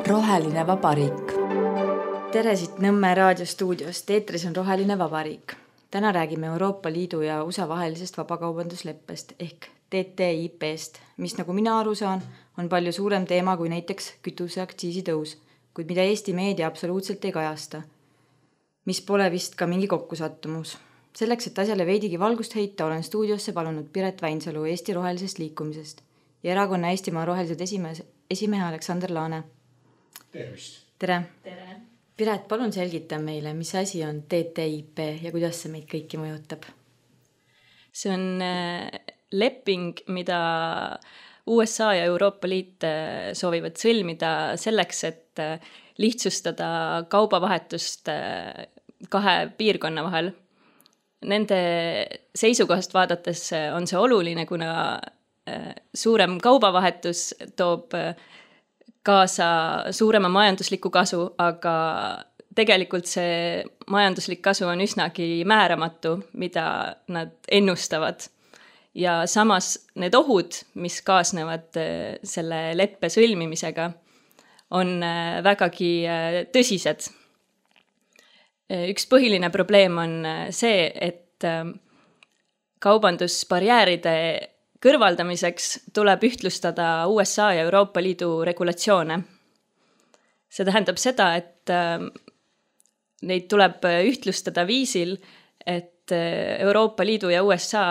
Roheline Vabariik. Tere siit Nõmme raadiostuudiost, eetris on Roheline Vabariik. Täna räägime Euroopa Liidu ja USA vahelisest vabakaubandusleppest ehk TTIP-st, mis nagu mina aru saan, on palju suurem teema kui näiteks kütuseaktsiisi tõus, kuid mida Eesti meedia absoluutselt ei kajasta, mis pole vist ka mingi kokkusattumus. Selleks, et asjale veidigi valgust heita, olen stuudiosse palunud Piret Vainsalu Eesti rohelisest liikumisest ja erakonna Eestimaa rohelised esimehe Aleksander Laane. Tervist! Tere! Piret, palun selgita meile, mis asi on TTIP ja kuidas see meid kõiki mõjutab? See on leping, mida USA ja Euroopa Liit soovivad sõlmida selleks, et lihtsustada kaubavahetust kahe piirkonna vahel. Nende seisukohast vaadates on see oluline, kuna suurem kaubavahetus toob kaasa suurema majandusliku kasu, aga tegelikult see majanduslik kasu on üsnagi määramatu, mida nad ennustavad. Ja samas need ohud, mis kaasnevad selle leppe sõlmimisega, on vägagi tõsised. Üks põhiline probleem on see, et kaubandusbarjääride kõrvaldamiseks tuleb ühtlustada USA ja Euroopa Liidu regulatsioone. See tähendab seda, et neid tuleb ühtlustada viisil, et Euroopa Liidu ja USA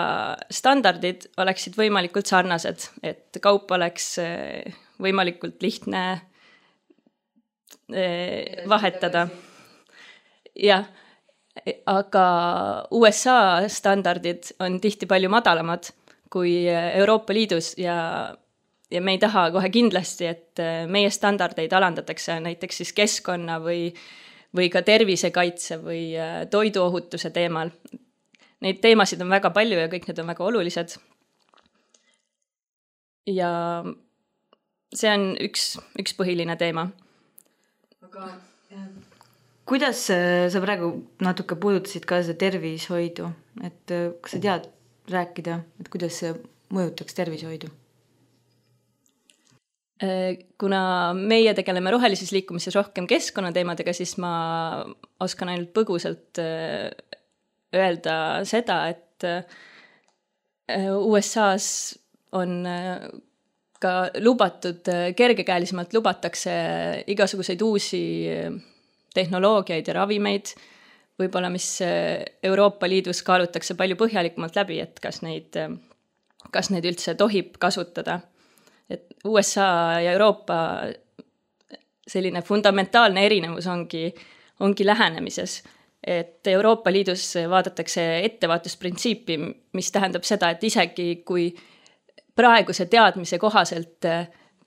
standardid oleksid võimalikult sarnased, et kaup oleks võimalikult lihtne vahetada. Jah, aga USA standardid on tihti palju madalamad kui Euroopa Liidus ja me ei taha kohe kindlasti, et meie standardeid alandatakse näiteks siis keskkonna või ka tervisekaitse või toiduohutuse teemal. Neid teemasid on väga palju ja kõik need on väga olulised. Ja see on üks põhiline teema. Aga kuidas sa praegu natuke puudutasid ka seda tervishoidu? Et kas sa tead rääkida, et kuidas see mõjutaks tervishoidu? Kuna meie tegeleme rohelises liikumises rohkem keskkonnateemadega, siis ma oskan ainult põgusalt öelda seda, et USA-s on ka lubatud, kergekäelisemalt lubatakse igasuguseid uusi tehnoloogiaid ja ravimeid, võib-olla mis Euroopa Liidus kaalutakse palju põhjalikumalt läbi, et kas neid üldse tohib kasutada. Et USA ja Euroopa selline fundamentaalne erinevus ongi lähenemises. Et Euroopa Liidus vaadatakse ettevaatusprintsiipi, mis tähendab seda, et isegi kui praeguse teadmise kohaselt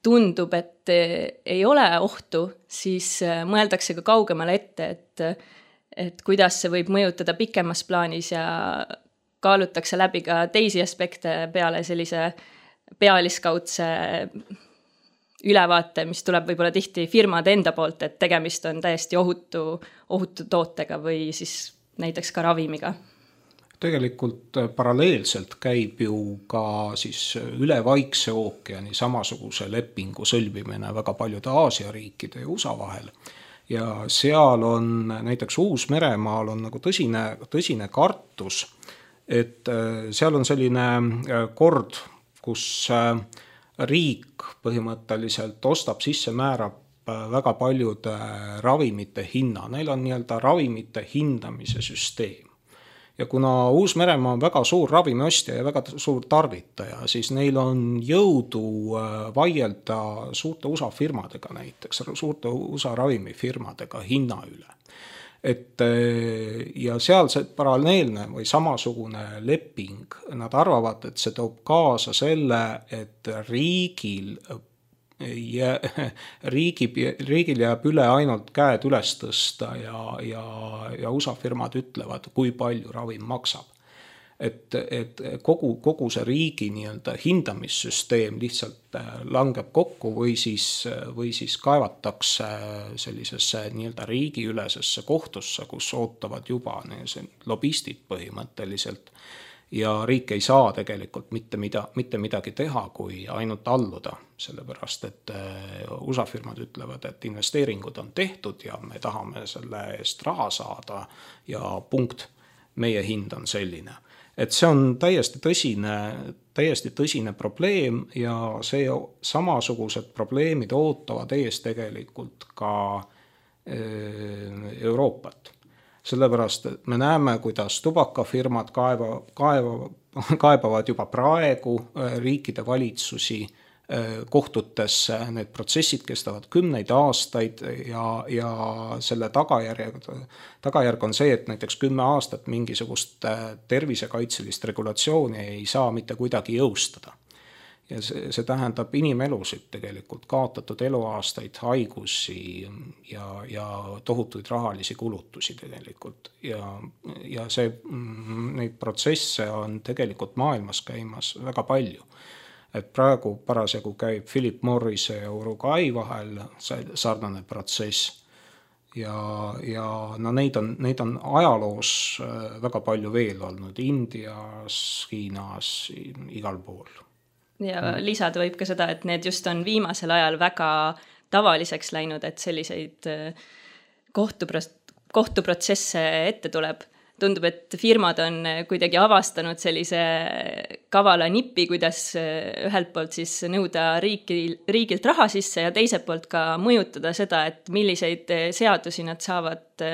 tundub, et ei ole ohtu, siis mõeldakse ka kaugemale ette, et kuidas see võib mõjutada pikemas plaanis ja kaalutakse läbi ka teisi aspekte peale sellise pealiskaudse ülevaate, mis tuleb võib-olla tihti firmade enda poolt, et tegemist on täiesti ohutu tootega või siis näiteks ka ravimiga. Tegelikult paralleelselt käib ju ka siis üle Vaikse ookeani samasuguse lepingu sõlmimine väga paljude Aasia riikide ja USA vahel. Ja seal on näiteks Uus-Meremaal on nagu tõsine kartus, et seal on selline kord, kus riik põhimõtteliselt ostab sisse, määrab väga paljude ravimite hinna. Neil on nii-öelda ravimite hindamise süsteem. Ja kuna Uus-Meremaa on väga suur ravimiostja ja väga suur tarvitaja, siis neil on jõudu vaielda suurte USA firmadega näiteks, suurte USA ravimifirmadega hinna üle. Ja seal see paralleelne või samasugune leping, nad arvavad, et see toob kaasa selle, et riigil jääb üle ainult käed üles tõsta ja USA firmad ütlevad, kui palju ravim maksab. Et kogu see riigi nii-öelda hindamissüsteem lihtsalt langeb kokku või siis kaevatakse sellisesse nii-öelda riigiülesesse kohtusse, kus ootavad juba lobistid põhimõtteliselt. ja riik ei saa tegelikult mitte midagi teha, kui ainult alluda, sellepärast et USA firmad ütlevad, et investeeringud on tehtud ja me tahame selle eest raha saada ja punkt, meie hind on selline. Et see on täiesti tõsine probleem ja see samasugused probleemid ootavad ees tegelikult ka Euroopat. Sellepärast, et me näeme, kuidas tubakafirmad kaebavad juba praegu riikide valitsusi kohtutesse, need protsessid kestavad 10 aastaid ja selle tagajärg on see, et näiteks 10 aastat mingisugust tervisekaitselist regulatsiooni ei saa mitte kuidagi jõustada. Ja see tähendab inimelusid tegelikult, kaotatud eluaastaid, haigusi ja tohutuid rahalisi kulutusi tegelikult. Ja neid protsesse on tegelikult maailmas käimas väga palju. Et praegu parasjagu käib Philip Morrise ja Uruguay vahel sarnane protsess. Ja no neid on ajaloos väga palju veel olnud, Indias, Hiinas, igal pool. Ja lisada võib ka seda, et need just on viimasel ajal väga tavaliseks läinud, et selliseid kohtuprotsesse ette tuleb. Tundub, et firmad on kuidagi avastanud sellise kavala nipi, kuidas ühelt poolt siis nõuda riigilt raha sisse ja teiselt poolt ka mõjutada seda, et milliseid seadusi nad saavad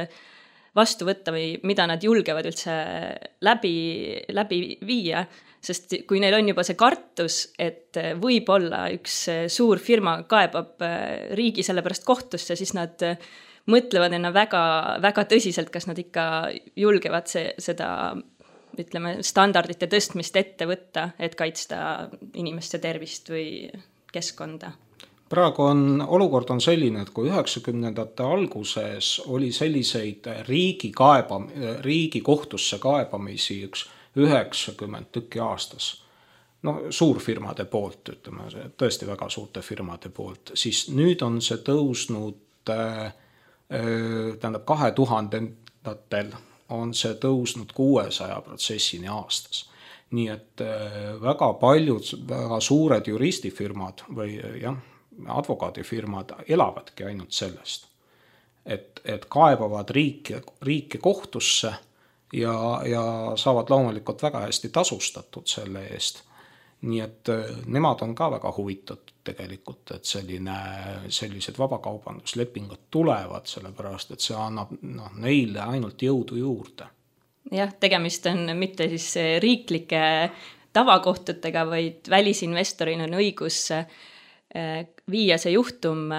vastu võtta või mida nad julgevad üldse läbi viia. Sest kui neil on juba see kartus, et võib-olla üks suur firma kaebab riigi selle pärast kohtusse, siis nad mõtlevad enne väga, väga tõsiselt, kas nad ikka julgevad seda, ütleme, standardite tõstmist ette võtta, et kaitsta inimeste tervist või keskkonda. Praegu olukord on selline, et kui 90ndate alguses oli selliseid riigi kohtusse kaebamisi 90 tükki aastas, suurfirmade poolt, ütleme, tõesti väga suurte firmade poolt, siis nüüd on see tõusnud, 2000-ndatel on see tõusnud 600 protsessini aastas. Nii et väga paljud väga suured juristifirmad või advokaadifirmad elavadki ainult sellest, et kaebavad riiki kohtusse ja saavad loomulikult väga hästi tasustatud selle eest. Nii et nemad on ka väga huvitatud tegelikult, et sellised vabakaubanduslepingud tulevad, sellepärast, et see annab neile ainult jõudu juurde. Jah, tegemist on mitte siis riiklike tavakohtutega, vaid välisinvestorina on õigus viia see juhtum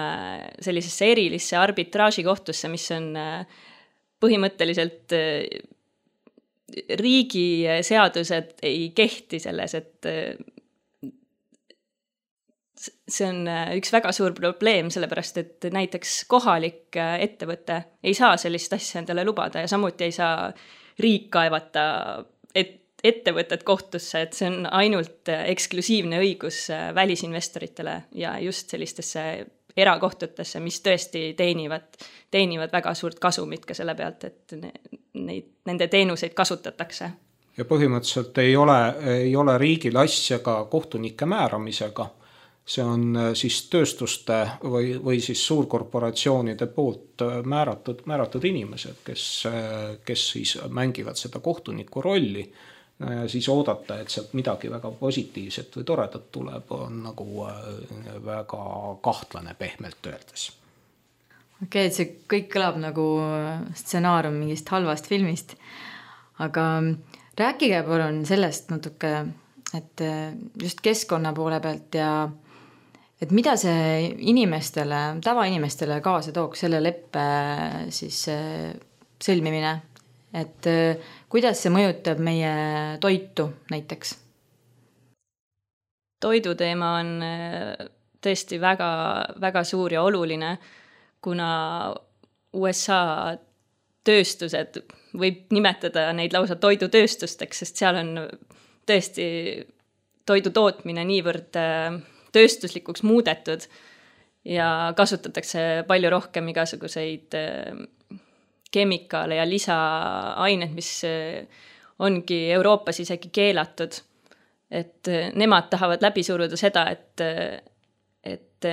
sellisesse erilisse arbitraažikohtusse, mis on põhimõtteliselt riigi seadused ei kehti selles, et see on üks väga suur probleem, sellepärast et näiteks kohalik ettevõte ei saa sellist asja endale lubada ja samuti ei saa riik kaevata ettevõtet kohtusse, et see on ainult eksklusiivne õigus välisinvestoritele ja just sellistesse erakohtutesse, mis tõesti teenivad väga suurt kasumit ka selle pealt, et nende teenuseid kasutatakse. Ja põhimõtteliselt ei ole riigil asja ka kohtunike määramisega. See on siis tööstuste või siis suurkorporatsioonide poolt määratud inimesed, kes siis mängivad seda kohtuniku rolli. Ja siis oodata, et sealt midagi väga positiivset või toredat tuleb, on nagu väga kahtlane pehmelt öeldes. Okei, see kõik kõlab nagu stsenaarium mingist halvast filmist, aga rääkige palun sellest natuke, et just keskkonna poole pealt ja et mida see tavainimestele kaasa tooks selle leppe siis sõlmimine, et kuidas see mõjutab meie toitu näiteks? Toiduteema on tõesti väga, väga suur ja oluline, kuna USA tööstused võib nimetada neid lausa toidutööstusteks, sest seal on tõesti toidu tootmine niivõrd tööstuslikuks muudetud ja kasutatakse palju rohkem igasuguseid kemikaale ja lisaained, mis ongi Euroopas isegi keelatud. Et nemad tahavad läbi suruda seda, et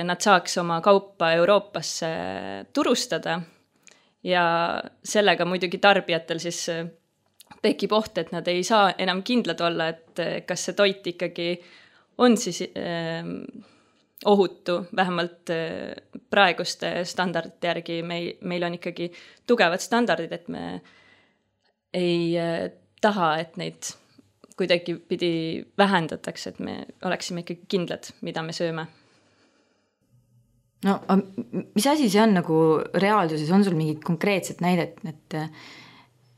nad saaks oma kaupa Euroopasse turustada ja sellega muidugi tarbijatel siis tekib oht, et nad ei saa enam kindlad olla, et kas see toit ikkagi on siis ohutu, vähemalt praeguste standardite järgi meil on ikkagi tugevad standardid, et me ei taha, et neid kuidagi pidi vähendatakse, et me oleksime ikkagi kindlad, mida me sööme. No, mis asi see on nagu reaalsuses? On sul mingid konkreetset näidet,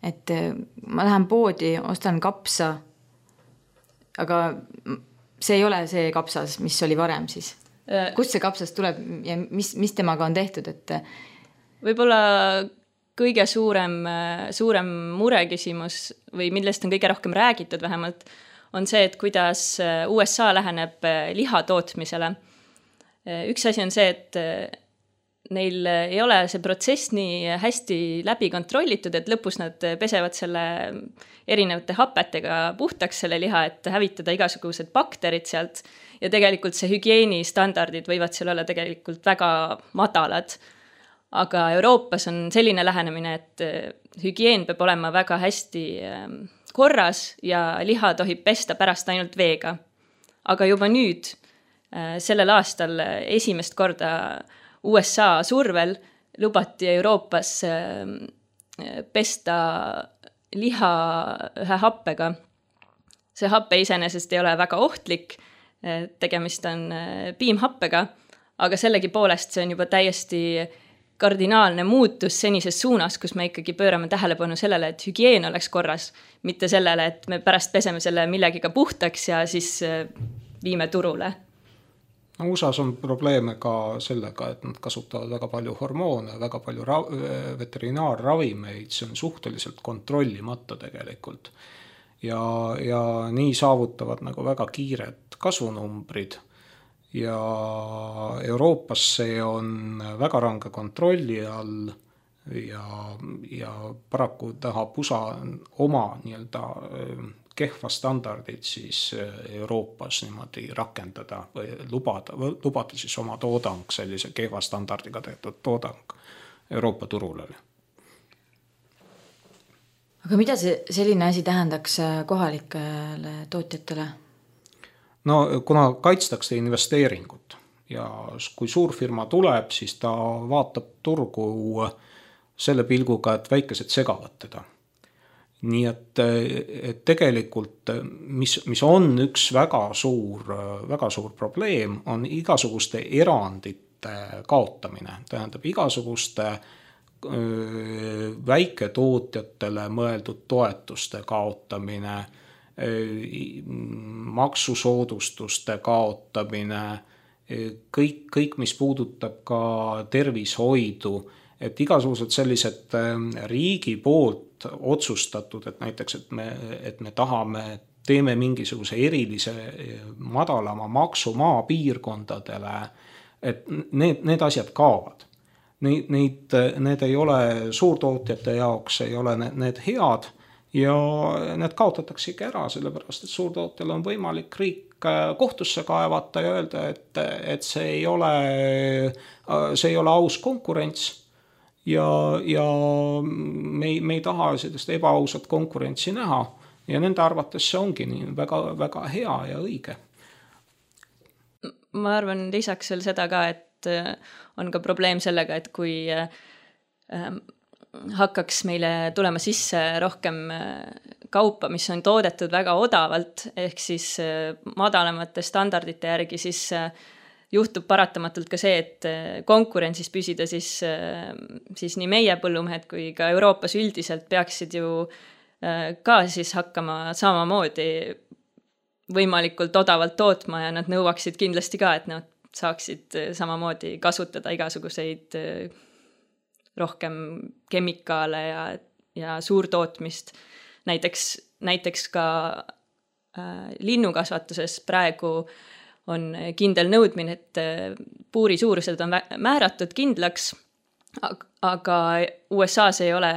et ma lähen poodi, ostan kapsa, aga see ei ole see kapsas, mis oli varem siis? Kust see kapsas tuleb ja mis temaga on tehtud? Võib-olla kõige suurem mureküsimus või millest on kõige rohkem räägitud vähemalt, on see, et kuidas USA läheneb liha tootmisele. Üks asi on see, et neil ei ole see protsess nii hästi läbi kontrollitud, et lõpus nad pesevad selle erinevate hapetega puhtaks selle liha, et hävitada igasugused bakterid sealt ja tegelikult see hügieenistandardid võivad seal olla tegelikult väga madalad. Aga Euroopas on selline lähenemine, et hügieen peab olema väga hästi korras ja liha tohib pesta pärast ainult veega. Aga juba nüüd, sellel aastal esimest korda USA survel lubati Euroopas pesta liha ühe happega. See happe iseenesest ei ole väga ohtlik, tegemist on piimhappega, aga sellegi poolest see on juba täiesti kardinaalne muutus senises suunas, kus me ikkagi pöörame tähelepanu sellele, et hügieen oleks korras, mitte sellele, et me pärast peseme selle millegiga puhtaks ja siis viime turule. No, USAs on probleeme ka sellega, et nad kasutavad väga palju hormoone, väga palju veterinaarravimeid, see on suhteliselt kontrollimata tegelikult. Ja nii saavutavad nagu väga kiired kasvunumbrid ja Euroopas see on väga range kontrolli all ja paraku tahab USA oma nii-öelda kehva standardid siis Euroopas niimoodi rakendada või lubada siis oma toodang, sellise kehva standardiga tehtud toodang Euroopa turule. Aga mida selline asi tähendaks kohalikele tootjatele? No kuna kaitstakse investeeringut ja kui suurfirma tuleb, siis ta vaatab turgu selle pilguga, et väikesed segavad teda. Nii et tegelikult, mis on üks väga suur probleem, on igasuguste erandite kaotamine. Tähendab igasuguste väiketootjatele mõeldud toetuste kaotamine, maksusoodustuste kaotamine, kõik, mis puudutab ka tervishoidu, et igasugused sellised riigi poolt otsustatud, et näiteks, et me teeme mingisuguse erilise madalama maksu maapiirkondadele, et need asjad kaovad. Need ei ole suurtootjate jaoks, ei ole need head ja need kaotataksegi ära, sellepärast, et suurtootjal on võimalik riik kohtusse kaevata ja öelda, et see ei ole aus konkurents. Ja me ei taha sellist ebaausat konkurentsi näha ja nende arvates see ongi nii väga, väga hea ja õige. Ma arvan lisaks veel seda ka, et on ka probleem sellega, et kui hakkaks meile tulema sisse rohkem kaupa, mis on toodetud väga odavalt, ehk siis madalamate standardite järgi, siis juhtub paratamatult ka see, et konkurentsis püsida siis nii meie põllumehed kui ka Euroopas üldiselt peaksid ju ka siis hakkama samamoodi võimalikult odavalt tootma ja nad nõuaksid kindlasti ka, et nad saaksid samamoodi kasutada igasuguseid rohkem kemikaale ja suurtootmist. Näiteks ka linnukasvatuses praegu on kindel nõudmine, et puuri suurused on määratud kindlaks, aga USA-s ei ole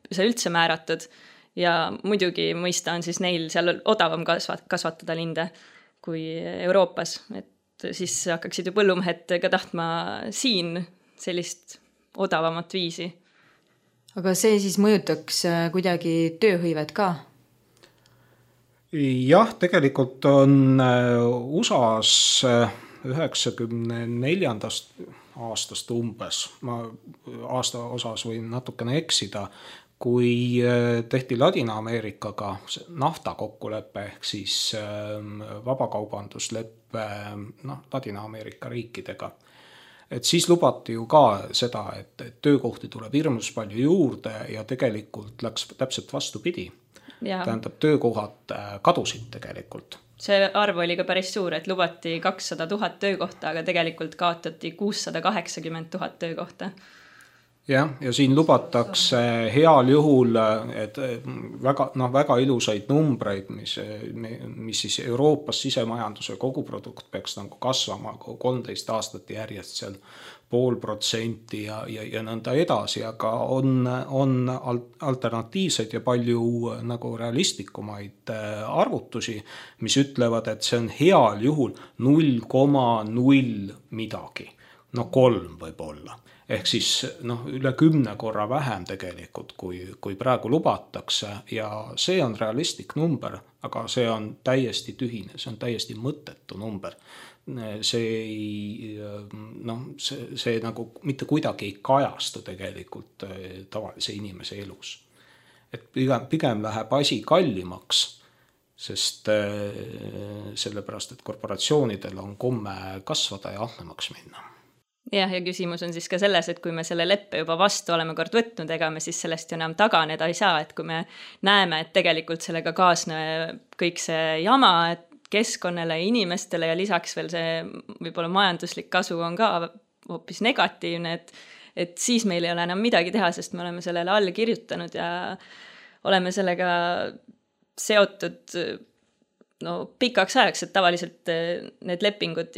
see üldse määratud ja muidugi mõista on siis neil seal odavam kasvatada linde kui Euroopas, et siis hakkaksid ju põllumehed ka tahtma siin sellist odavamat viisi. Aga see siis mõjutaks kuidagi tööhõivet ka? Jah, tegelikult on USAs 94. aastast umbes, ma aasta osas võin natukene eksida, kui tehti Ladina-Ameerikaga nafta kokkulepe ehk siis vabakaubandusleppe Ladina-Ameerika riikidega. Et siis lubati ju ka seda, et töökohti tuleb hirmus palju juurde ja tegelikult läks täpselt vastupidi. Tähendab, töökohad kadusid tegelikult. See arv oli ka päris suur, et lubati 200 000 töökohta, aga tegelikult kaotati 680 000 töökohta. Ja siin lubatakse heal juhul, et väga ilusaid numbreid, mis siis Euroopas sisemajanduse koguprodukt peaks nagu kasvama 13 aastat järjest seal 0,5% ja nõnda edasi, aga on alternatiivseid ja palju nagu realistlikumaid arvutusi, mis ütlevad, et see on heal juhul 0,0 midagi, 3 võib olla. Ehk siis üle 10 korra vähem tegelikult, kui praegu lubatakse ja see on realistlik number, aga see on täiesti tühine, see on täiesti mõttetu number. See nagu mitte kuidagi ei kajastu tegelikult tavalise inimese elus. Et pigem läheb asi kallimaks, sest sellepärast, et korporatsioonidel on komme kasvada ja ahnemaks minna. Ja küsimus on siis ka selles, et kui me selle leppe juba vastu oleme kord võtnud, ega me siis sellest ju enam taganeda ei saa, et kui me näeme, et tegelikult sellega kaasne kõik see jama, et keskkonnale ja inimestele ja lisaks veel see võib-olla majanduslik kasu on ka hoopis negatiivne, et siis meil ei ole enam midagi teha, sest me oleme sellele alla kirjutanud ja oleme sellega seotud pikaks ajaks, et tavaliselt need lepingud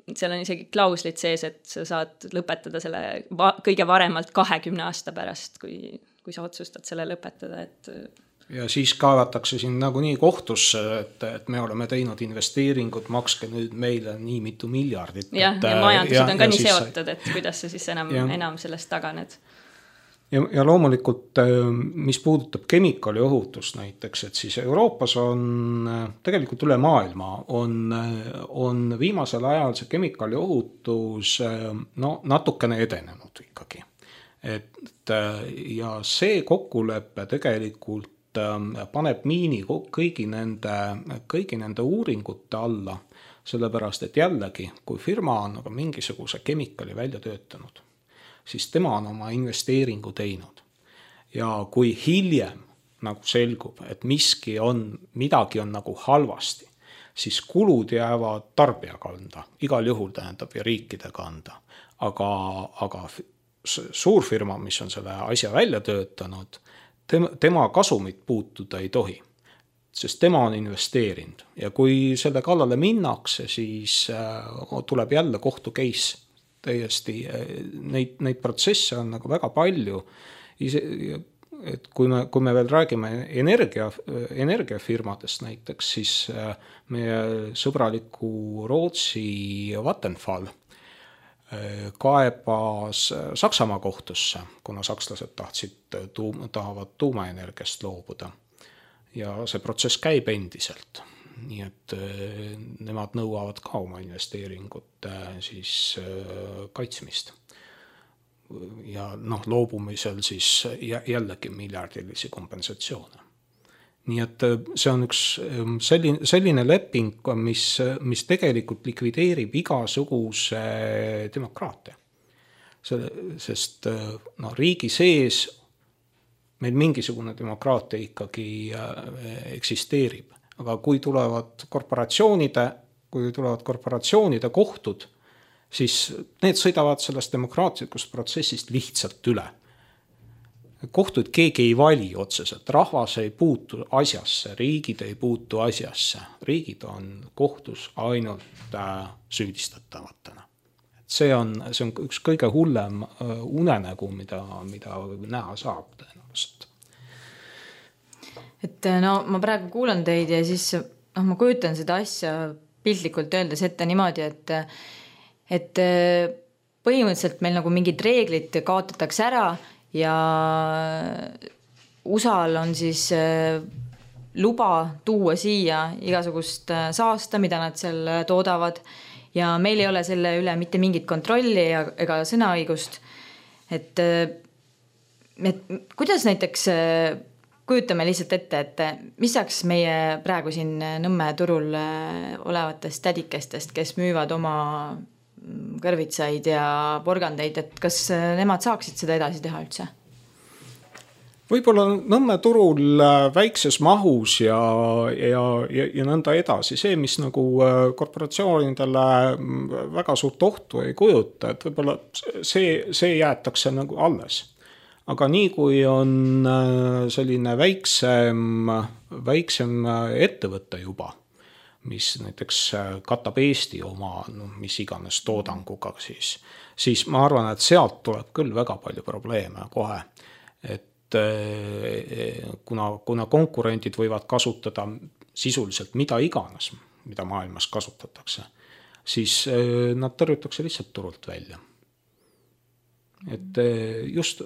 seal on isegi klauslid sees, et sa saad lõpetada selle kõige varemalt 20 aasta pärast, kui sa otsustad selle lõpetada, et ja siis kaevatakse siin nagunii kohtusse, et me oleme teinud investeeringud, makske nüüd meile nii mitu miljardit. Ja majandused on ka nii seotud, et kuidas sa siis enam sellest taganed. Ja loomulikult, mis puudutab kemikaaliohutust näiteks, et siis Euroopas on tegelikult üle maailma on viimasel ajal see kemikaaliohutus natukene edenenud ikkagi. Ja see kokkulepe tegelikult paneb miini kõigi nende uuringute alla, sellepärast, et jällegi, kui firma on mingisuguse kemikaali välja töötanud, siis tema on oma investeeringu teinud. Ja kui hiljem nagu selgub, et midagi on nagu halvasti, siis kulud jäävad tarbija kanda, igal juhul tähendab ja riikide kanda. Aga suurfirma, mis on selle asja välja töötanud, tema kasumit puutuda ei tohi, sest tema on investeerinud. Ja kui selle kallale minnakse, siis tuleb jälle kohtu case. Täiesti neid protsesse on nagu väga palju. Et kui me veel räägime energiafirmadest näiteks, siis meie sõbraliku Rootsi Vattenfall kaebas Saksamaa kohtusse, kuna sakslased tahavad tuumaenergiast loobuda. Ja see protsess käib endiselt. Nii et nemad nõuavad ka oma investeeringute siis kaitsmist. Ja loobumisel siis jällegi miljardilisi kompensatsioone. Nii et see on üks selline leping, mis tegelikult likvideerib igasuguse demokraatia. Sest riigi sees meil mingisugune demokraatia ikkagi eksisteerib. Aga kui tulevad korporatsioonide kohtud, siis need sõidavad sellest demokraatlikust protsessist lihtsalt üle. Kohtud keegi ei vali otseselt, rahvas ei puutu asjasse, riigid ei puutu asjasse. Riigid on kohtus ainult süüdistatavatena. See on üks kõige hullem unenägu, mida näha saab tõenäoliselt. et no ma praegu kuulan teid ja siis ma kujutan seda asja piltlikult öeldes ette niimoodi, et põhimõtteliselt meil nagu mingid reeglid kaotatakse ära ja USA-l on siis luba tuua siia igasugust saasta, mida nad seal toodavad ja meil ei ole selle üle mitte mingit kontrolli ega sõnaõigust. Et kuidas näiteks kujutame lihtsalt ette, et mis saaks meie praegu siin Nõmme turul olevatest tädikestest, kes müüvad oma kõrvitsaid ja porgandeid, et kas nemad saaksid seda edasi teha üldse? Võib-olla Nõmme turul väikses mahus ja nõnda edasi. See, mis nagu korporatsioonidele väga suurt ohtu ei kujuta, et võib-olla see jäetakse nagu alles. Aga nii kui on selline väiksem ettevõte juba, mis näiteks katab Eesti oma mis iganes toodanguga, siis ma arvan, et sealt tuleb küll väga palju probleeme kohe. Et kuna konkurendid võivad kasutada sisuliselt mida iganes, mida maailmas kasutatakse, siis nad tõrjutakse lihtsalt turult välja. Et just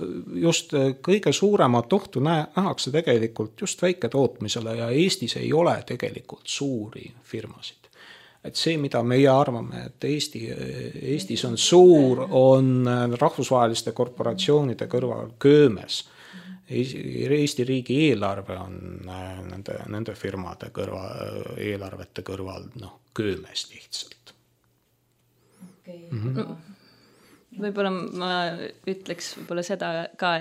kõige suuremat ohtu nähakse tegelikult just väiketootmisele ja Eestis ei ole tegelikult suuri firmasid. Et see, mida meie arvame, et Eestis on suur, on rahvusvaheliste korporatsioonide kõrval köömes. Eesti riigi eelarve on nende firmade eelarvete kõrval köömes lihtsalt. Okay. Mm-hmm. Võib-olla ma ütleks võib-olla seda ka,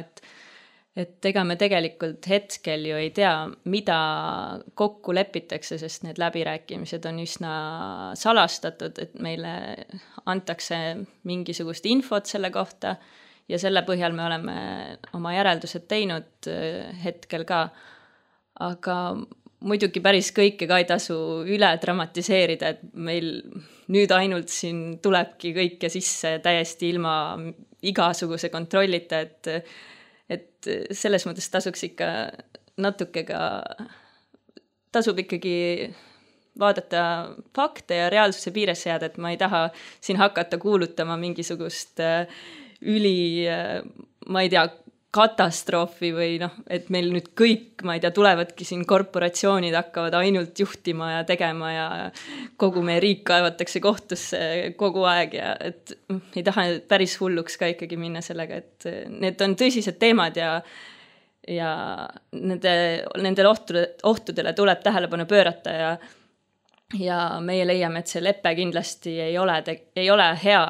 et ega me tegelikult hetkel ju ei tea, mida kokku lepitakse, sest need läbirääkimised on üsna salastatud, et meile antakse mingisugust infot selle kohta ja selle põhjal me oleme oma järeldused teinud hetkel ka. Aga muidugi päris kõike ka ei tasu üle dramatiseerida, et meil nüüd ainult siin tulebki kõike sisse täiesti ilma igasuguse kontrollita, et selles mõttes tasuks ikka natuke ka, tasub ikkagi vaadata fakte ja reaalsuse piiresse jääda, et ma ei taha siin hakata kuulutama mingisugust ma ei tea, katastroofi või et meil nüüd kõik, ma ei tea, tulevadki siin korporatsioonid hakkavad ainult juhtima ja tegema ja kogu meie riik kaevatakse kohtusse kogu aeg ja et ei taha päris hulluks ka ikkagi minna sellega, et need on tõsised teemad ja nendele ohtudele tuleb tähelepanu pöörata ja meie leiame, et see lepe kindlasti ei ole hea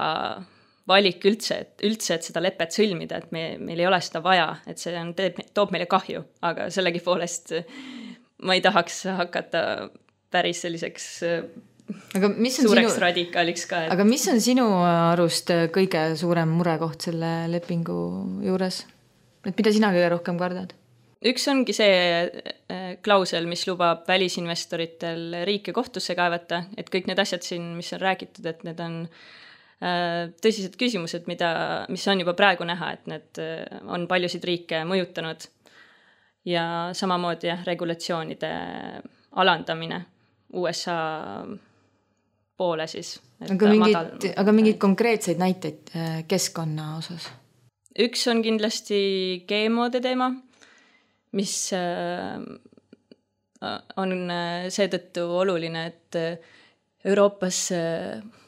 valik üldse, et seda lepet sõlmida, et meil ei ole seda vaja, et see toob meile kahju, aga sellegi poolest ma ei tahaks hakata päris selliseks suureks radikaaliks ka. Aga mis on sinu arust kõige suurem murekoht selle lepingu juures? Et mida sina kõige rohkem kardad? Üks ongi see klausel, mis lubab välisinvestoritel riike kohtusse kaevata, et kõik need asjad siin, mis on räägitud, et need on tõsised küsimused, mis on juba praegu näha, et need on paljusid riike mõjutanud ja samamoodi regulatsioonide alandamine USA poole siis. Aga mingid konkreetseid näiteid keskkonna osas? Üks on kindlasti GMO-de teema, mis on seetõttu oluline, et Euroopas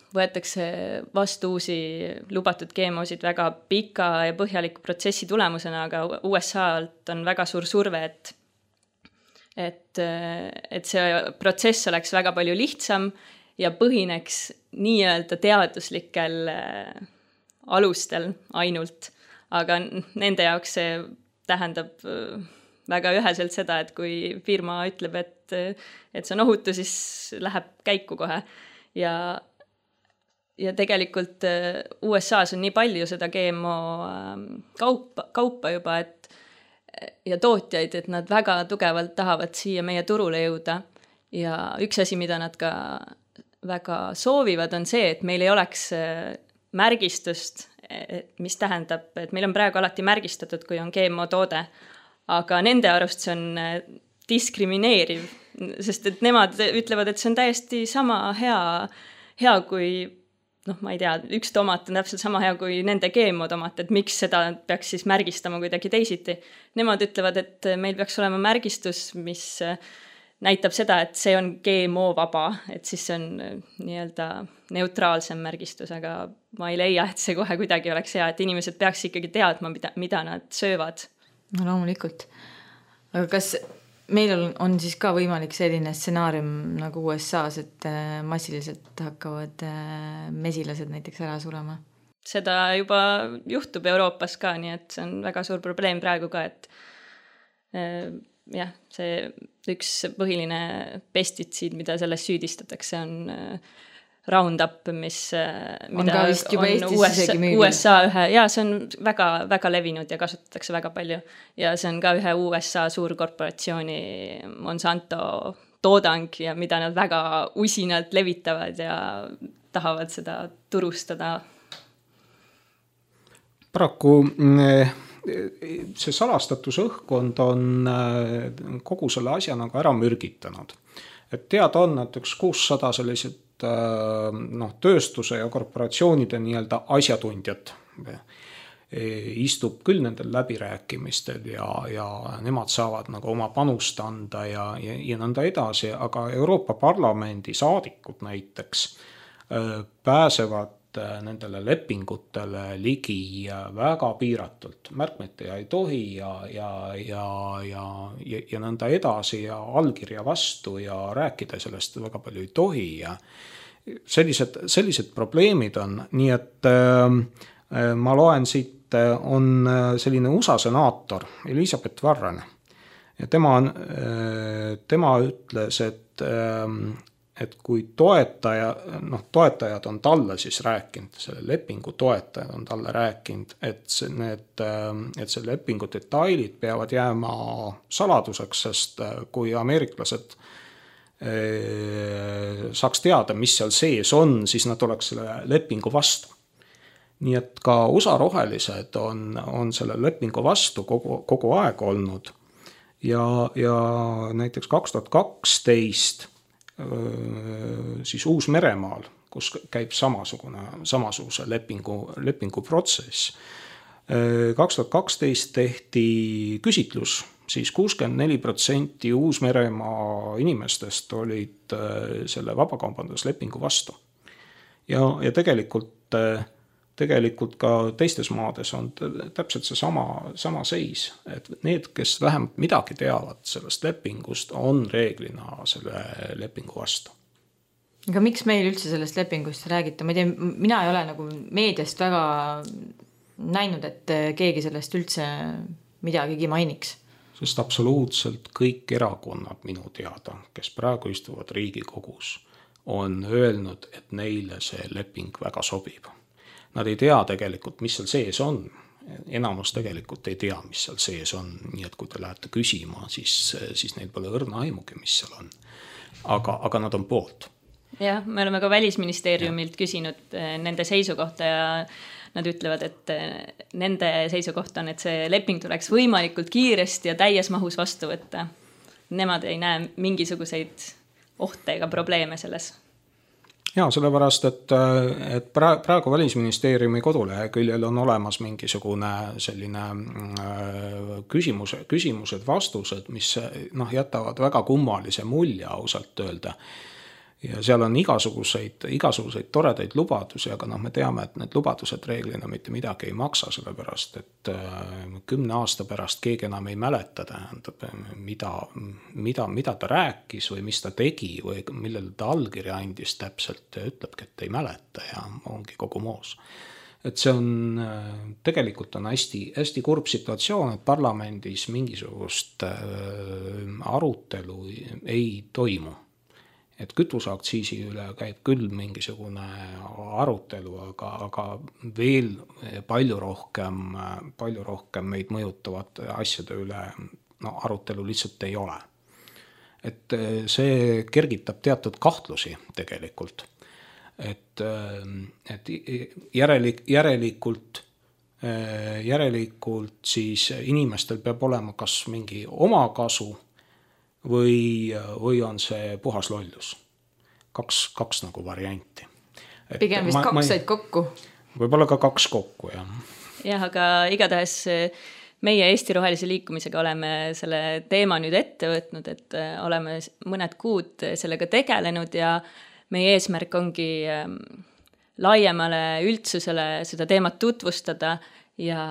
võetakse vastu uusi lubatud GMO-sid väga pika ja põhjaliku protsessi tulemusena, aga USA-lt on väga suur surve, et see protsess oleks väga palju lihtsam ja põhineks nii-öelda teaduslikel alustel ainult. Aga nende jaoks see tähendab väga üheselt seda, et kui firma ütleb, et see on ohutu, siis läheb käiku kohe. Ja tegelikult USAs on nii palju seda GMO kaupa juba, ja tootjaid, et nad väga tugevalt tahavad siia meie turule jõuda. Ja üks asi, mida nad ka väga soovivad, on see, et meil ei oleks märgistust, mis tähendab, et meil on praegu alati märgistatud, kui on GMO toode, aga nende arust see on diskrimineeriv, sest et nemad ütlevad, et see on täiesti sama hea kui ma ei tea, üks tomat on täpselt sama hea kui nende GMO tomat, et miks seda peaks siis märgistama kuidagi teisiti. Nemad ütlevad, et meil peaks olema märgistus, mis näitab seda, et see on GMO vaba, et siis see on nii-öelda neutraalsem märgistus, aga ma ei leia, et see kohe kuidagi oleks hea, et inimesed peaks ikkagi teadma, mida nad söövad. No loomulikult. Aga kas meil on siis ka võimalik selline stsenaarium nagu USA-s, et massiliselt hakkavad mesilased näiteks ära surema? Seda juba juhtub Euroopas ka, nii et see on väga suur probleem praegu ka, et jah, see üks põhiline pestitsiid, mida selles süüdistatakse, on Roundup, mida on USA see on väga, väga levinud ja kasutatakse väga palju. Ja see on ka ühe USA suurkorporatsiooni Monsanto toodang ja mida nad väga usinalt levitavad ja tahavad seda turustada. Paraku see salastatuse õhkkond on kogu selle asja nagu ära mürgitanud. Et teada on, et 600 sellised tööstuse ja korporatsioonide nii-öelda asjatundjad istub küll nendel läbirääkimistel ja nemad saavad nagu oma panust anda ja nõnda edasi, aga Euroopa Parlamendi saadikud näiteks pääsevad nendele lepingutele ligi väga piiratult. Märkmete ei tohi ja nõnda edasi ja allkirja vastu ja rääkida sellest väga palju ei tohi ja sellised probleemid on. Nii et ma loen siit, on selline USA senaator Elizabeth Warren ja tema ütles, et kui toetajad on talle siis rääkinud, selle lepingu toetajad on talle rääkinud, et see lepingu detailid peavad jääma saladuseks, sest kui ameeriklased saaks teada, mis seal sees on, siis nad oleks selle lepingu vastu. Nii et ka USA rohelised on selle lepingu vastu kogu aeg olnud ja näiteks 2012 siis Uus-Meremaal, kus käib samasuguse lepingu protsess. 2012 tehti küsitlus, siis 64% Uus-Meremaa inimestest olid selle vabakaubanduslepingu vastu. Ja tegelikult ka teistes maades on täpselt see sama seis, et need, kes vähemalt midagi teavad sellest lepingust, on reeglina selle lepingu vastu. Aga miks meil üldse sellest lepingust räägita? Ma ei tea, mina ei ole nagu meediast väga näinud, et keegi sellest üldse midagigi mainiks. Sest absoluutselt kõik erakonnad minu teada, kes praegu istuvad Riigikogus, on öelnud, et neile see leping väga sobib. Nad ei tea tegelikult, mis seal sees on. Enamus tegelikult ei tea, mis seal sees on. Nii et kui te lähete küsima, siis neil pole õrna aimugi, mis seal on. Aga nad on poolt. Jah, me oleme ka Välisministeeriumilt küsinud nende seisukohta ja nad ütlevad, et nende seisukoht on, et see leping tuleks võimalikult kiiresti ja täies mahus vastu võtta. Nemad ei näe mingisuguseid ohte ega probleeme selles. Ja sellepärast, et praegu Välisministeeriumi koduleheküljel on olemas mingisugune selline küsimused, vastused, mis jätavad väga kummalise mulje ausalt öelda. Ja seal on igasuguseid toredaid lubadusi, aga me teame, et need lubadused reeglina mitte midagi ei maksa, sellepärast, et 10 aasta pärast keegi enam ei mäleta, tähendab, mida ta rääkis või mis ta tegi või millele ta allkirja andis täpselt ja ütlebki, et ei mäleta ja ongi kogu moos. Et see on, tegelikult on hästi kurb situatsioon, et parlamendis mingisugust arutelu ei toimu. Et kütuseaktsiisi üle käib küll mingisugune arutelu, aga veel palju rohkem meid mõjutavad asjade üle arutelu lihtsalt ei ole. Et see kergitab teatud kahtlusi tegelikult. Et järelikult siis inimestel peab olema kas mingi omakasu või on see puhas lollus. Kaks nagu varianti. Pigem vist kaks said kokku. Võib-olla ka kaks kokku, jah. Jah, aga igatahes meie Eesti Rohelise Liikumisega oleme selle teema nüüd ette võtnud, et oleme mõned kuud sellega tegelenud ja meie eesmärk ongi laiemale üldsusele seda teemat tutvustada ja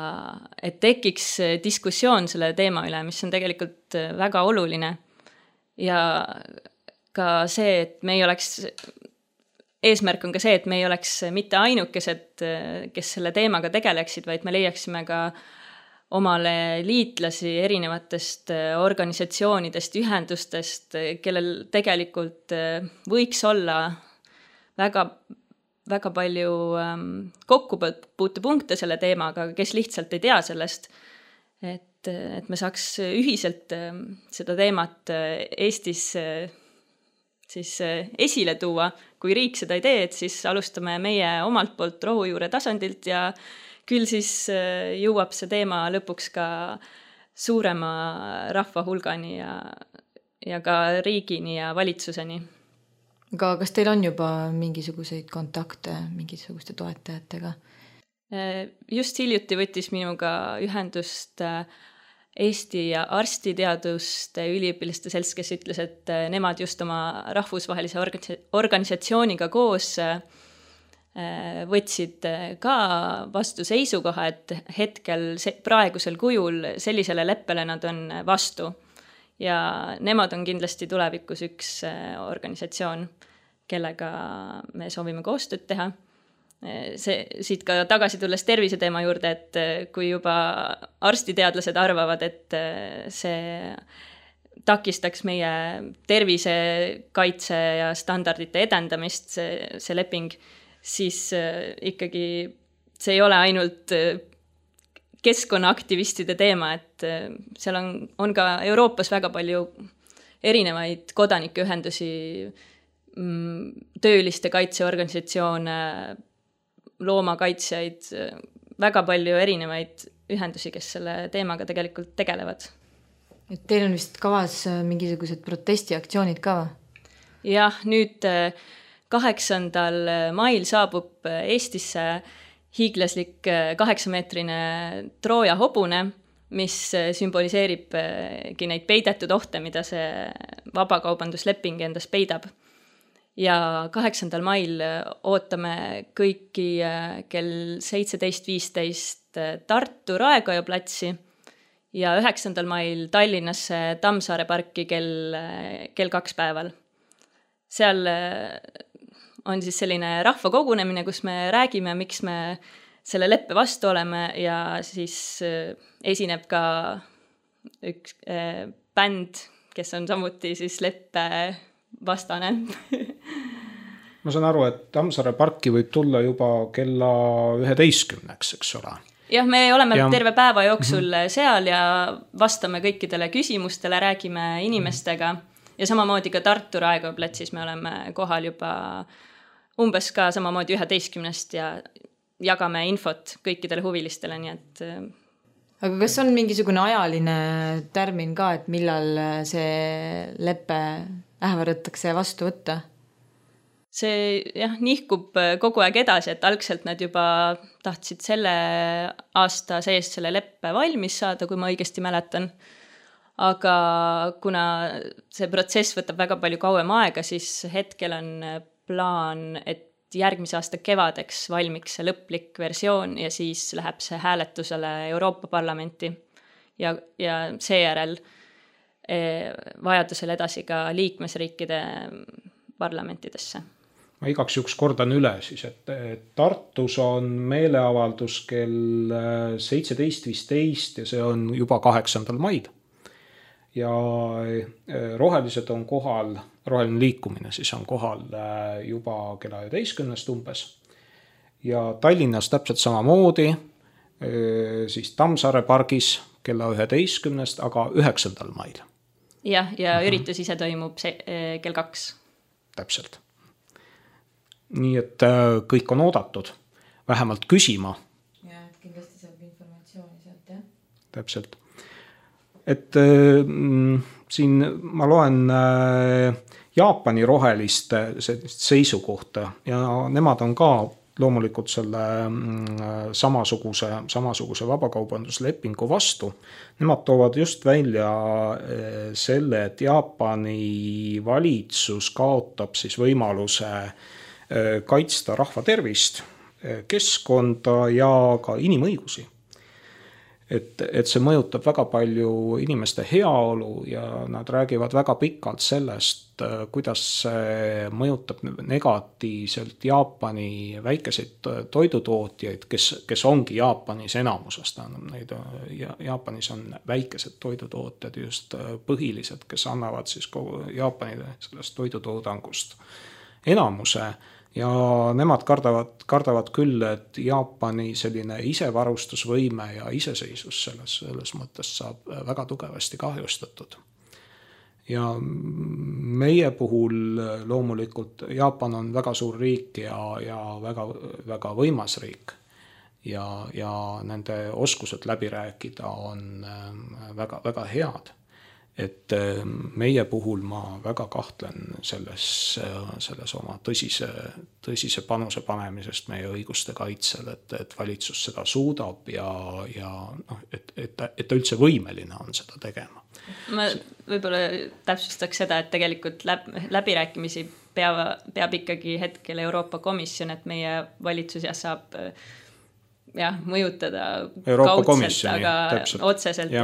et tekiks diskussioon selle teema üle, mis on tegelikult väga oluline. Ja ka see, et me ei oleks, eesmärk on ka see, et me ei oleks mitte ainukesed, kes selle teemaga tegeleksid, vaid me leiaksime ka omale liitlasi erinevatest organisatsioonidest, ühendustest, kellel tegelikult võiks olla väga palju kokkupuutepunkte selle teemaga, kes lihtsalt ei tea sellest, et me saaks ühiselt seda teemat Eestis siis esile tuua. Kui riik seda ei tee, et siis alustame meie omalt poolt rohujuure tasandilt ja küll siis jõuab see teema lõpuks ka suurema rahva hulgani ja ka riigini ja valitsuseni. Aga kas teil on juba mingisuguseid kontakte mingisuguste toetajatega? Just hiljuti võttis minuga ühendust Eesti arstiteaduste üliõpilaste selts, kes ütles, et nemad just oma rahvusvahelise organisatsiooniga koos võtsid ka vastu seisukoha, et hetkel praegusel kujul sellisele leppele nad on vastu. Ja nemad on kindlasti tulevikus üks organisatsioon, kellega me soovime koostööd teha. Siit ka tagasi tulles terviseteema juurde, et kui juba arstiteadlased arvavad, et see takistaks meie tervisekaitse ja standardite edendamist, see leping, siis ikkagi see ei ole ainult keskkonnaaktivistide teema, et seal on ka Euroopas väga palju erinevaid kodanikuühendusi, tööliste kaitseorganisatsioone, loomakaitsjaid, väga palju erinevaid ühendusi, kes selle teemaga tegelikult tegelevad. Et teil on vist kavas mingisugused protestiaktsioonid ka? Jah, nüüd 8. mail saabub Eestisse hiiglaslik 8-meetrine Trooja hobune, mis sümboliseeribki neid peidetud ohte, mida see vabakaubandusleping endas peidab. Ja 8. mail ootame kõiki kell 17.15 Tartu Raekoja platsi ja 9. mail Tallinnasse Tammsaare parki kell 2 päeval. Seal on siis selline rahvakogunemine, kus me räägime, miks me selle leppe vastu oleme ja siis esineb ka üks bänd, kes on samuti siis leppe vastane. Ma saan aru, et Tammsaare parki võib tulla juba kella 11-ks, eks ole. Jah, me oleme terve päeva jooksul seal ja vastame kõikidele küsimustele, räägime inimestega ja samamoodi ka Tartu Raekoja platsis me oleme kohal juba umbes ka samamoodi 11-st ja jagame infot kõikidele huvilistele, nii et Aga kas on mingisugune ajaline tärmin ka, et millal see leppe ähvardatakse vastu võtta? See nihkub kogu aeg edasi, et algselt nad juba tahtsid selle aasta sees selle leppe valmis saada, kui ma õigesti mäletan. Aga kuna see protsess võtab väga palju kauem aega, siis hetkel on plaan, et järgmise aasta kevadeks valmiks see lõplik versioon ja siis läheb see hääletusele Euroopa Parlamenti ja seejärel vajadusel edasi ka liikmesriikide parlamentidesse. Ma igaks juhuks kordan üle siis, et Tartus on meeleavaldus kell 17.15 ja see on juba 8. mail. Ja rohelised on kohal, roheline liikumine siis on kohal juba kella 11 umbes. Ja Tallinnas täpselt samamoodi, siis Tammsaare pargis kella 11, aga 9. mail. Ja üritus ise toimub kell 2. Täpselt. Nii et kõik on oodatud, vähemalt küsima. Ja, kindlasti saab informatsiooni sealt, jah. Täpselt. Et siin ma loen Jaapani roheliste seisukohta ja nemad on ka loomulikult selle samasuguse vabakaubanduslepingu vastu. Nemad toovad just välja selle, et Jaapani valitsus kaotab siis võimaluse kaitsta rahva tervist, keskkonda ja ka inimõigusi. Et see mõjutab väga palju inimeste heaolu ja nad räägivad väga pikalt sellest, kuidas see mõjutab negatiivselt Jaapani väikeseid toidutootjaid, kes ongi Jaapanis enamusest. Jaapanis on väikesed toidutootjad just põhilised, kes annavad siis kogu Jaapanile sellest toidutoodangust enamuse. Ja nemad kardavad küll, et Jaapani selline isevarustusvõime ja iseseisus selles mõttes saab väga tugevasti kahjustatud. Ja meie puhul loomulikult Jaapan on väga suur riik ja väga, väga võimas riik. Ja nende oskused läbi rääkida on väga, väga head. Et meie puhul ma väga kahtlen selles oma tõsise panuse panemisest meie õiguste kaitsel, et valitsus seda suudab ja et ta üldse võimeline on seda tegema. Ma võib-olla täpsustaks seda, et tegelikult läbirääkimisi peab ikkagi hetkel Euroopa Komisjon, et meie valitsus saab mõjutada Euroopa kaudselt, komisjoni, aga täpselt. otseselt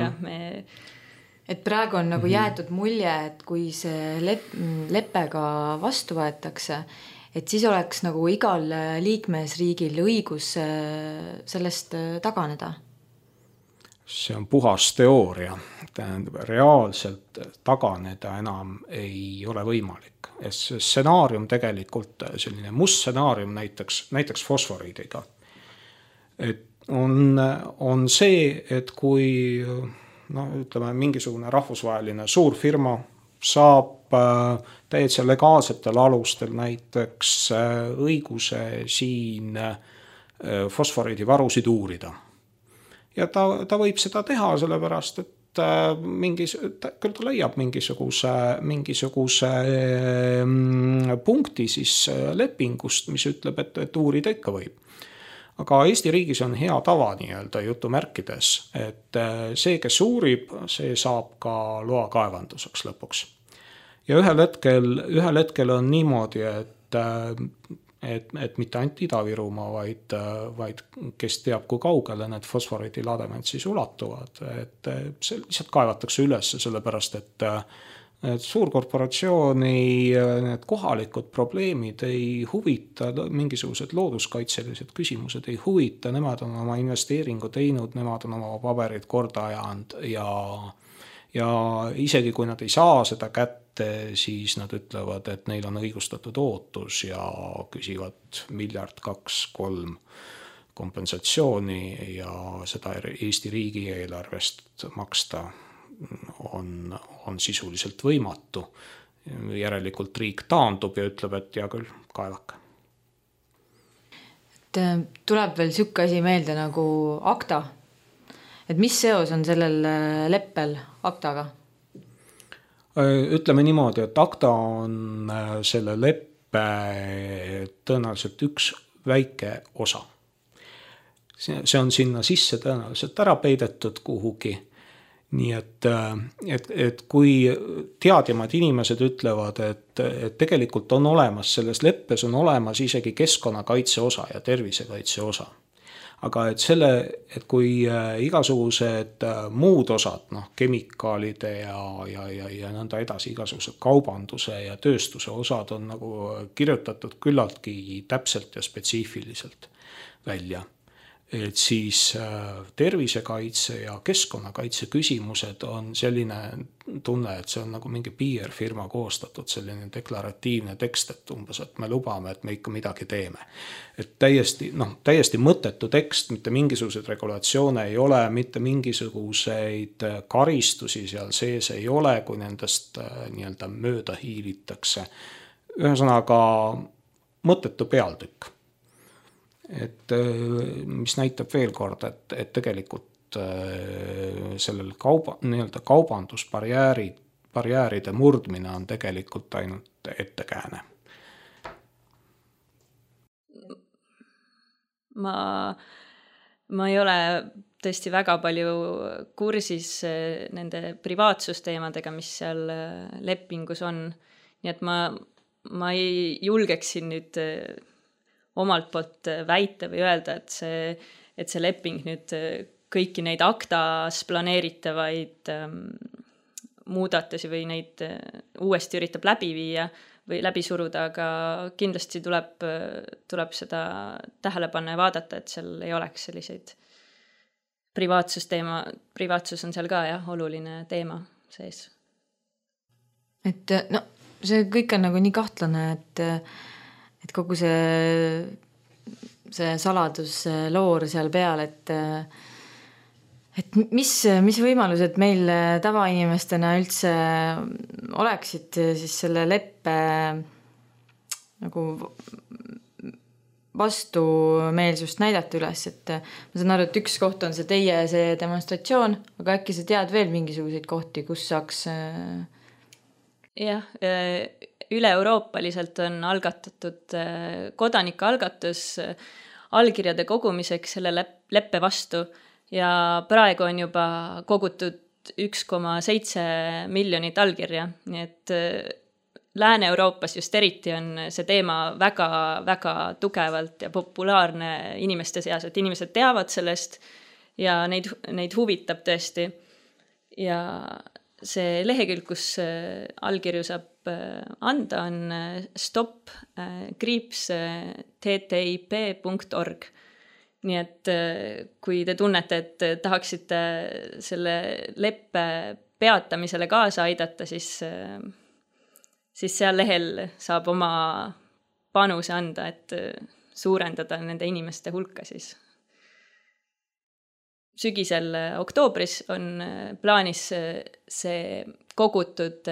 Et praegu on nagu jäetud mulje, et kui see leppega vastu võetakse, et siis oleks nagu igal liikmesriigil õigus sellest taganeda. See on puhas teooria. Tähendab, reaalselt taganeda enam ei ole võimalik. See stsenaarium tegelikult, selline must stsenaarium näiteks fosforiidiga. Et on see, et kui ütleme, mingisugune rahvusvaheline suur firma saab täitsa legaalsetel alustel näiteks õiguse siin fosforiidivarusid uurida. Ja ta võib seda teha sellepärast, et küll ta leiab mingisuguse punkti siis lepingust, mis ütleb, et uurida ikka võib. Aga Eesti riigis on hea tava jutumärkides, et see, kes uurib, see saab ka loa kaevanduseks lõpuks. Ja ühel hetkel on niimoodi, et mitte ainult Ida-Virumaa, vaid kes teab, kui kaugele need fosforiidilademed siis ulatuvad. Et see lihtsalt kaevatakse üles, sellepärast, et suurkorporatsiooni need kohalikud probleemid ei huvita, mingisugused looduskaitselised küsimused ei huvita, nemad on oma investeeringu teinud, nemad on oma paberid korda ajanud ja isegi kui nad ei saa seda kätte, siis nad ütlevad, et neil on õigustatud ootus ja küsivad 1 miljard, 2, 3 kompensatsiooni ja seda Eesti riigieelarvest maksta on sisuliselt võimatu. Järelikult riik taandub ja ütleb, et hea küll, kaevake. Tuleb veel siuke asi meelde nagu ACTA. Et mis seos on sellel leppel ACTA-ga? Ütleme niimoodi, et ACTA on selle leppe tõenäoliselt üks väike osa. See on sinna sisse tõenäoliselt ära peidetud kuhugi. Nii et kui teadjamad inimesed ütlevad, et tegelikult on olemas, selles leppes on olemas isegi keskkonnakaitse osa ja tervisekaitse osa. Aga et kui igasugused muud osad, kemikaalide ja nõnda edasi, igasugused kaubanduse ja tööstuse osad on nagu kirjutatud küllaltki täpselt ja spetsiifiliselt välja. Et siis tervisekaitse ja keskkonnakaitse küsimused on selline tunne, et see on nagu mingi PR-firma koostatud selline deklaratiivne tekst, et umbes, et me lubame, et me ikka midagi teeme. Et täiesti mõttetu tekst, mitte mingisuguseid regulatsioone ei ole, mitte mingisuguseid karistusi seal sees ei ole, kui nendest nii-öelda mööda hiilitakse. Ühesõnaga mõttetu pealtükk. Et mis näitab veel kord, et tegelikult sellel kaubandusbarjäärid barjääride murdmine on tegelikult ainult ettekääne. Ma ei ole tõesti väga palju kursis nende privaatsusteemadega, mis seal lepingus on. Nii et ma ei julgeks siin nüüd omalt poolt väita või öelda, et see leping nüüd kõiki neid aktas planeeritavaid muudatusi või neid uuesti üritab läbi viia või läbi suruda, aga kindlasti tuleb seda tähele panna ja vaadata, et seal ei oleks selliseid privaatsus on seal ka oluline teema sees. Et no, see kõik on nagu nii kahtlane, et kogu see saladusloor seal peal, et mis võimalused meil tavainimestena üldse oleksid siis selle leppe nagu vastumeelsust näidata üles, et ma saan aru, et üks koht on see demonstratsioon, aga äkki sa tead veel mingisuguseid kohti, kus saaks... Jah, üle-euroopaliselt on algatatud kodanikualgatus allkirjade kogumiseks selle leppe vastu ja praegu on juba kogutud 1,7 miljonit allkirja, nii et Lääne-Euroopas just eriti on see teema väga, väga tugevalt ja populaarne inimeste seas, et inimesed teavad sellest ja neid huvitab tõesti. Ja see lehekülg, kus allkirju saab anda, on stop-ttip.org. Nii et kui te tunnete, et tahaksite selle leppe peatamisele kaasa aidata, siis seal lehel saab oma panuse anda, et suurendada nende inimeste hulka siis. Sügisel oktoobris on plaanis see kogutud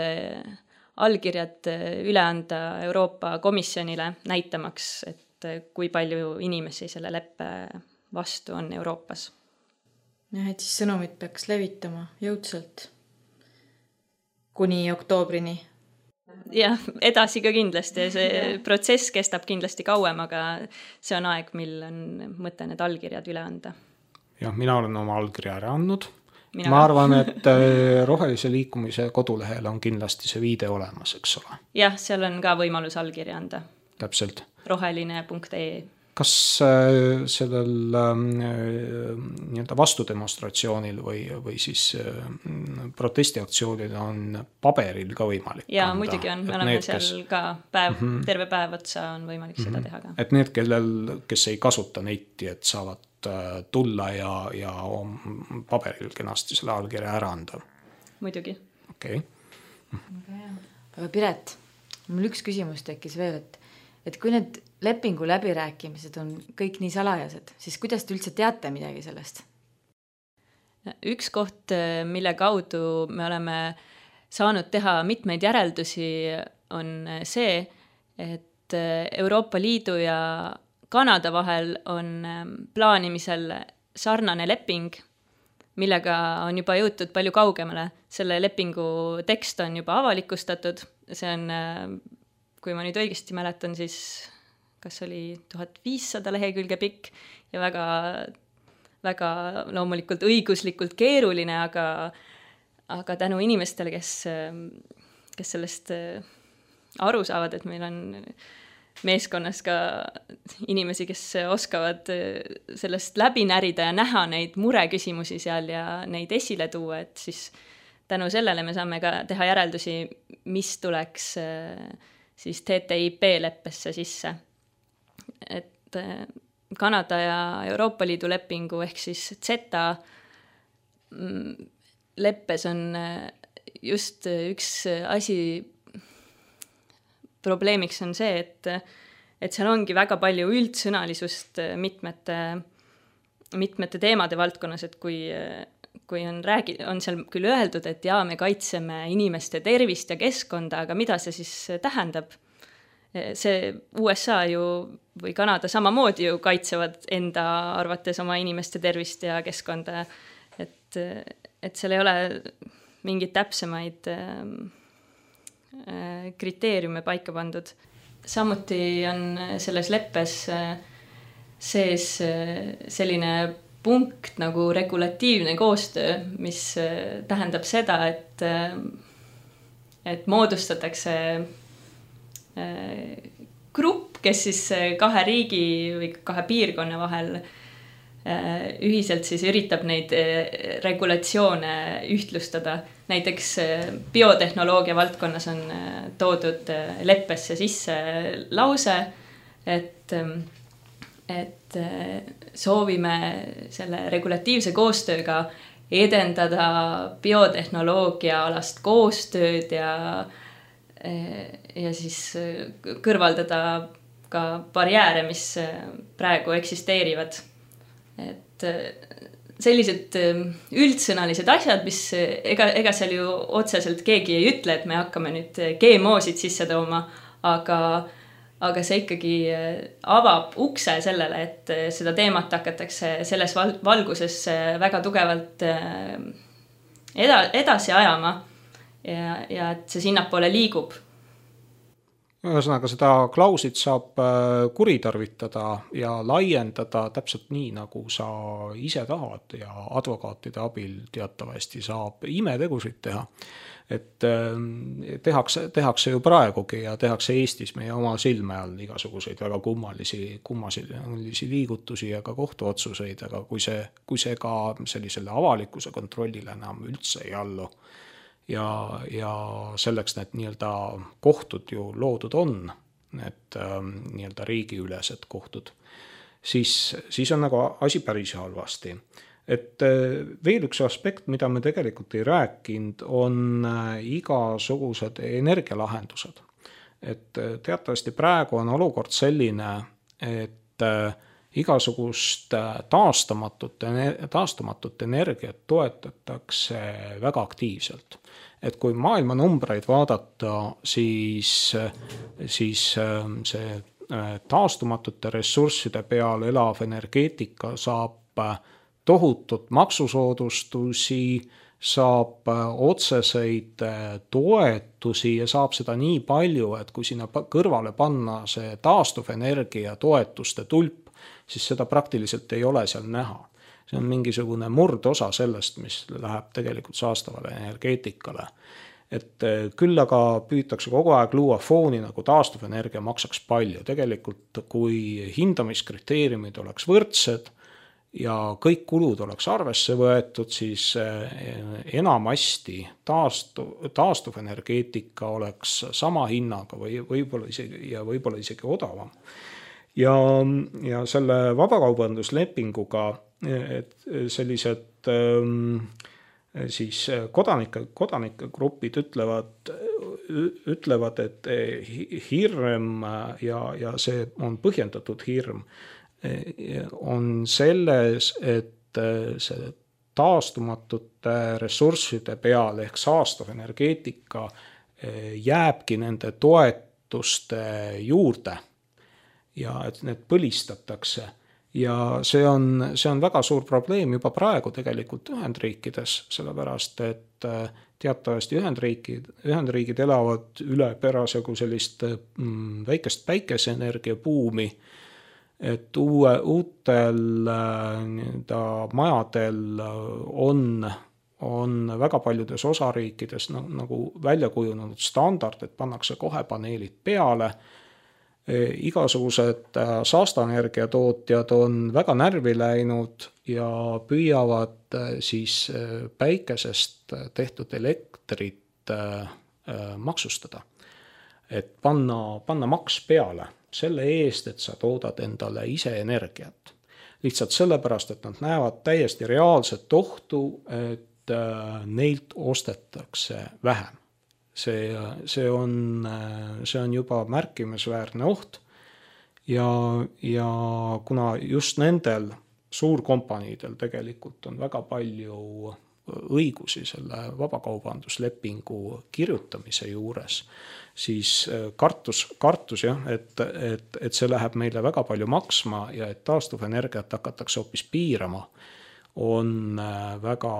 allkirjad üle anda Euroopa Komisjonile näitamaks, et kui palju inimesi selle leppe vastu on Euroopas. Jah, et siis sõnumit peaks levitama jõudsalt kuni oktoobrini. Jah, edasi ka kindlasti. See protsess kestab kindlasti kauem, aga see on aeg, mil on mõte need allkirjad üle anda. Jah, mina olen oma allkirja ära andnud. Ma arvan, et Rohelise liikumise kodulehel on kindlasti see viide olemas, eks ole. Jah, seal on ka võimalus allkirja anda. Täpselt. Roheline.ee. Kas sellel vastudemonstratsioonil või siis protestiaktsioonil on paberil ka võimalik? Jaa, muidugi on. Me oleme seal ka terve päev otsa on võimalik seda teha ka. Et need, kes ei kasuta netti, et saavad tulla ja paberil kenasti selle allkirja ära anda? Muidugi. Okei. Aga Piret, mul üks küsimus tekkis veel, et kui need lepingu läbirääkimised on kõik nii salajased, siis kuidas te üldse teate midagi sellest? Üks koht, mille kaudu me oleme saanud teha mitmeid järeldusi, on see, et Euroopa Liidu ja Kanada vahel on plaanimisel sarnane leping, millega on juba jõutud palju kaugemale. Selle lepingu tekst on juba avalikustatud. See on, kui ma nüüd õigesti mäletan, siis kas oli 1500 lehekülge pikk ja väga, väga loomulikult õiguslikult keeruline, aga tänu inimestele, kes sellest aru saavad, et meil on meeskonnas ka inimesi, kes oskavad sellest läbi närida ja näha neid mureküsimusi seal ja neid esile tuua, et siis tänu sellele me saame ka teha järeldusi, mis tuleks siis TTIP leppesse sisse. Et Kanada ja Euroopa Liidu lepingu ehk siis CETA leppes on just üks asi, probleemiks on see, et seal ongi väga palju üldsõnalisust mitmete teemade valdkonnas, et kui on seal küll öeldud, et jaa, me kaitseme inimeste tervist ja keskkonda, aga mida see siis tähendab? See USA ju või Kanada samamoodi ju kaitsevad enda arvates oma inimeste tervist ja keskkonda, et seal ei ole mingeid täpsemaid kriteeriume paika pandud. Samuti on selles leppes sees selline punkt nagu regulatiivne koostöö, mis tähendab seda, et moodustatakse grupp, kes siis kahe riigi või kahe piirkonna vahel ühiselt siis üritab neid regulatsioone ühtlustada. Näiteks biotehnoloogia valdkonnas on toodud leppesse sisse lause, et soovime selle regulatiivse koostööga edendada biotehnoloogia alast koostööd ja siis kõrvaldada ka barjääre, mis praegu eksisteerivad. Et sellised üldsõnalised asjad, mis ega seal ju otseselt keegi ei ütle, et me hakkame nüüd GMO-sid sisse tooma, aga see ikkagi avab ukse sellele, et seda teemat hakatakse selles valguses väga tugevalt edasi ajama ja et see sinnapoole liigub. Ühesõnaga, seda klauslit saab kuritarvitada ja laiendada täpselt nii, nagu sa ise tahad ja advokaatide abil teatavasti saab imetegusid teha. Et tehakse ju praegugi ja tehakse Eestis meie oma silme all igasuguseid väga kummalisi liigutusi ja ka kohtuotsuseid, aga kui see ka sellisele avalikkuse kontrollile enam üldse ei allu, ja selleks need nii-öelda kohtud ju loodud on, need nii-öelda riigiülesed kohtud, siis on nagu asi päris halvasti. Et veel üks aspekt, mida me tegelikult ei rääkinud, on igasugused energialahendused. Et teatavasti praegu on olukord selline, et igasugust taastumatut energiat toetatakse väga aktiivselt. Et kui maailma numbreid vaadata, siis see taastumatute ressursside peal elav energeetika saab tohutut maksusoodustusi, saab otseseid toetusi ja saab seda nii palju, et kui sinna kõrvale panna see taastuvenergia toetuste tulp, siis seda praktiliselt ei ole seal näha. See on mingisugune murdosa sellest, mis läheb tegelikult saastavale energeetikale. Et küll aga püütakse kogu aeg luua fooni, nagu taastuvenergia maksaks palju. Tegelikult kui hindamiskriteeriumid oleks võrdsed ja kõik kulud oleks arvesse võetud, siis enamasti taastuvenergeetika oleks sama hinnaga või võib-olla isegi odavam. Ja selle vabakaubanduslepinguga sellised siis kodanikegrupid ütlevad, et hirm ja see on põhjendatud hirm on selles, et see taastumatute ressursside peal ehk saastav energeetika jääbki nende toetuste juurde ja et need põlistatakse. Ja see on väga suur probleem juba praegu tegelikult Ühendriikides, sellepärast et teatavasti Ühendriigid elavad üle perasegu sellist väikest päikeseenergia buumi, et uutel majadel on väga paljudes osariikides nagu välja kujunenud standard, et pannakse kohe paneelid peale. Igasugused saastaenergia tootjad on väga närvi läinud ja püüavad siis päikesest tehtud elektrit maksustada. Et panna maks peale selle eest, et sa toodad endale ise energiat. Lihtsalt sellepärast, et nad näevad täiesti reaalset ohtu, et neilt ostetakse vähem. See on juba märkimisväärne oht ja kuna just nendel suurkompaniidel tegelikult on väga palju õigusi selle vabakaubanduslepingu kirjutamise juures, siis kartus jah, et see läheb meile väga palju maksma ja et taastuvenergiat hakatakse hoopis piirama, on väga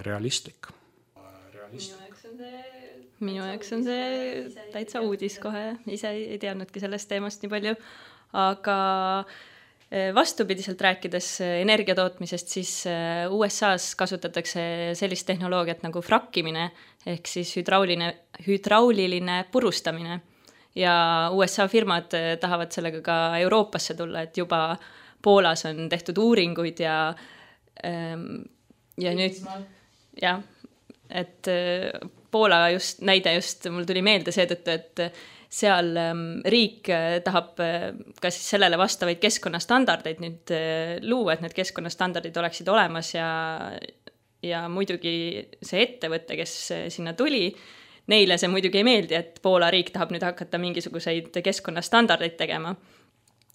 realistlik. Minu jaoks on see täitsa uudis kohe, ise ei teadnudki sellest teemast nii palju, aga vastupidiselt rääkides energia tootmisest, siis USA-s kasutatakse sellist tehnoloogiat nagu frakkimine, ehk siis hüdrauliline purustamine. Ja USA firmad tahavad sellega ka Euroopasse tulla, et juba Poolas on tehtud uuringuid ja nüüd, jah, et Poola näide mul tuli meelde seetõttu, et seal riik tahab ka siis sellele vastavaid keskkonnastandardeid nüüd luua, et need keskkonnastandardid oleksid olemas ja muidugi see ettevõte, kes sinna tuli, neile see muidugi ei meeldi, et Poola riik tahab nüüd hakata mingisuguseid keskkonnastandardeid tegema.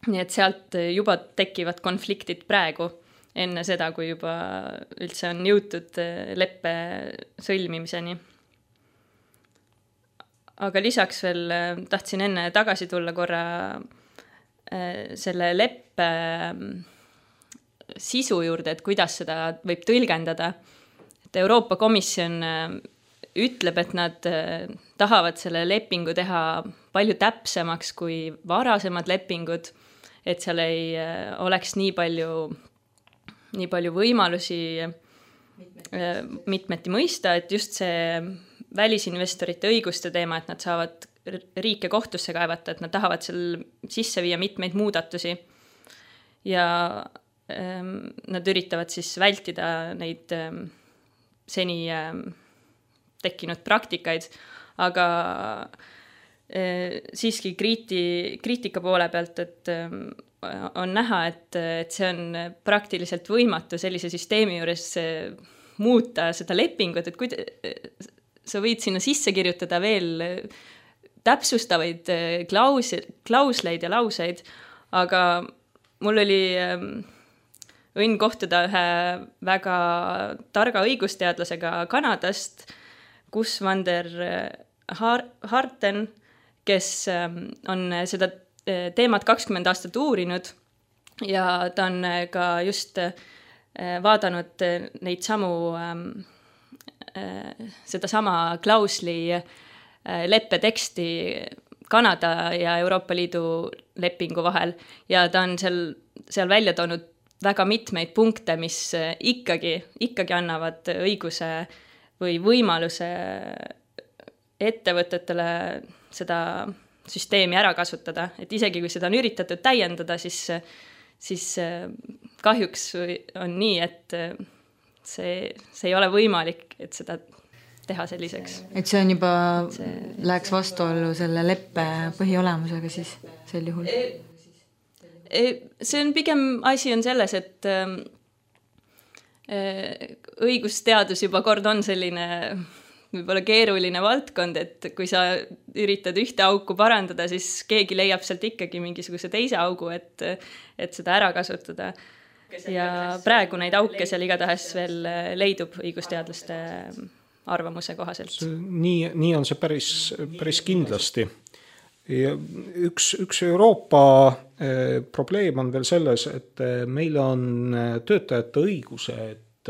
Nii et sealt juba tekivad konfliktid praegu, enne seda, kui juba üldse on jõutud leppe sõlmimiseni. Aga lisaks veel tahtsin enne tagasi tulla korra selle leppe sisu juurde, et kuidas seda võib tõlgendada. Et Euroopa Komisjon ütleb, et nad tahavad selle lepingu teha palju täpsemaks kui varasemad lepingud, et seal ei oleks nii palju võimalusi mitmeti mõista, et just see välisinvestorite õiguste teema, et nad saavad riike kohtusse kaevata, et nad tahavad seal sisse viia mitmeid muudatusi ja nad üritavad siis vältida neid seni tekkinud praktikaid, aga siiski kriitika poole pealt, et on näha, et see on praktiliselt võimatu sellise süsteemi juures muuta seda lepingut, et sa võid sinna sisse kirjutada veel täpsustavaid klausleid ja lauseid, aga mul oli õnn kohtuda ühe väga targa õigusteadlasega Kanadast, Gus van der Harten, kes on seda teemat 20 aastat uurinud ja ta on ka just vaadanud neid samu sedasama klausli leppeteksti Kanada ja Euroopa Liidu lepingu vahel ja ta on seal välja toonud väga mitmeid punkte, mis ikkagi annavad õiguse või võimaluse ettevõtetele seda süsteemi ära kasutada, et isegi kui seda on üritatud täiendada, siis kahjuks on nii, et see ei ole võimalik, et seda teha selliseks. Et see on juba, läheks vastuollu selle leppe põhiolemusega siis sel juhul? See on pigem asi on selles, et õigusteadus juba kord on selline võib-olla keeruline valdkond, et kui sa üritad ühte auku parandada, siis keegi leiab sealt ikkagi mingisuguse teise augu, et seda ära kasutada. Ja praegu neid auke seal igatahes veel leidub õigusteadlaste arvamuse kohaselt. Nii on see päris kindlasti. Ja üks Euroopa probleem on veel selles, et meil on töötajate õigused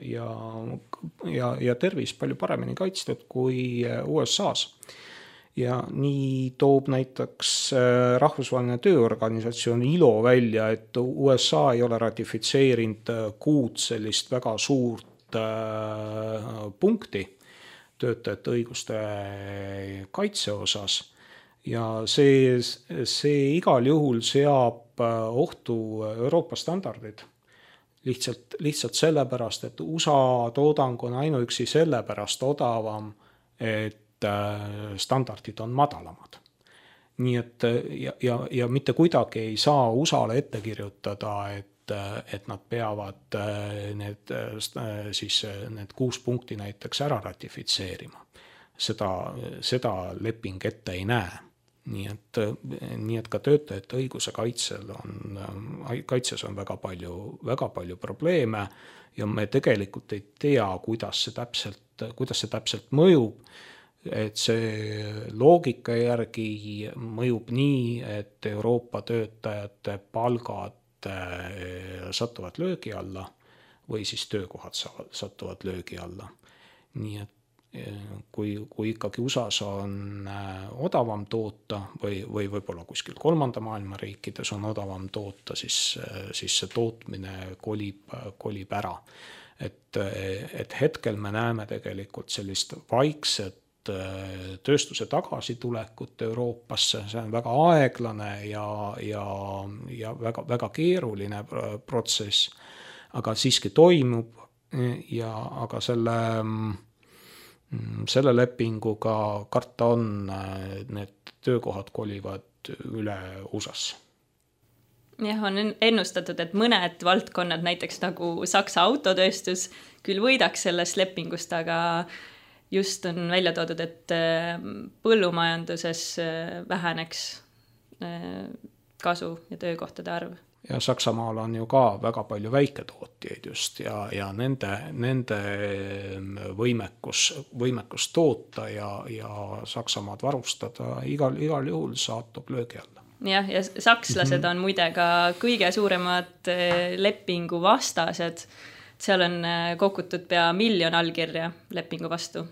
ja tervis palju paremini kaitstud kui USA-s. Ja nii toob näiteks rahvusvaheline tööorganisatsioon ILO välja, et USA ei ole ratifitseerinud 6 sellist väga suurt punkti töötajate õiguste kaitse osas. Ja see igal juhul seab ohtu Euroopa standardid. Lihtsalt sellepärast, et USA toodang on ainuüksi sellepärast odavam, et standardid on madalamad. Nii et ja mitte kuidagi ei saa USA-le ette kirjutada, et nad peavad need 6 punkti näiteks ära ratifitseerima. Seda leping ette ei näe. Nii et ka töötajate õiguse kaitses on väga palju probleeme ja me tegelikult ei tea, kuidas see täpselt mõjub. Et see loogika järgi mõjub nii, et Euroopa töötajate palgad satuvad löögi alla või siis töökohad satuvad löögi alla. Nii kui ikkagi USAs on odavam toota või võib-olla kuskil kolmanda maailma riikides on odavam toota, siis see tootmine kolib ära. Et hetkel me näeme tegelikult sellist vaikset tööstuse tagasitulekut Euroopasse, see on väga aeglane ja väga keeruline protsess, aga siiski toimub aga selle lepinguga karta on, need töökohad kolivad üle USA-sse. Jah, on ennustatud, et mõned valdkonnad, näiteks nagu Saksa autotööstus, küll võidaks sellest lepingust, aga just on välja toodud, et põllumajanduses väheneks kasu ja töökohtade arv. Ja Saksamaal on ju ka väga palju väiketootjaid just ja nende võimekus toota ja Saksamaad varustada igal juhul saatub löögi alla. Jah, ja sakslased on muide ka kõige suuremad lepingu vastased. Seal on kogutud pea 1 miljon allkirja lepingu vastu.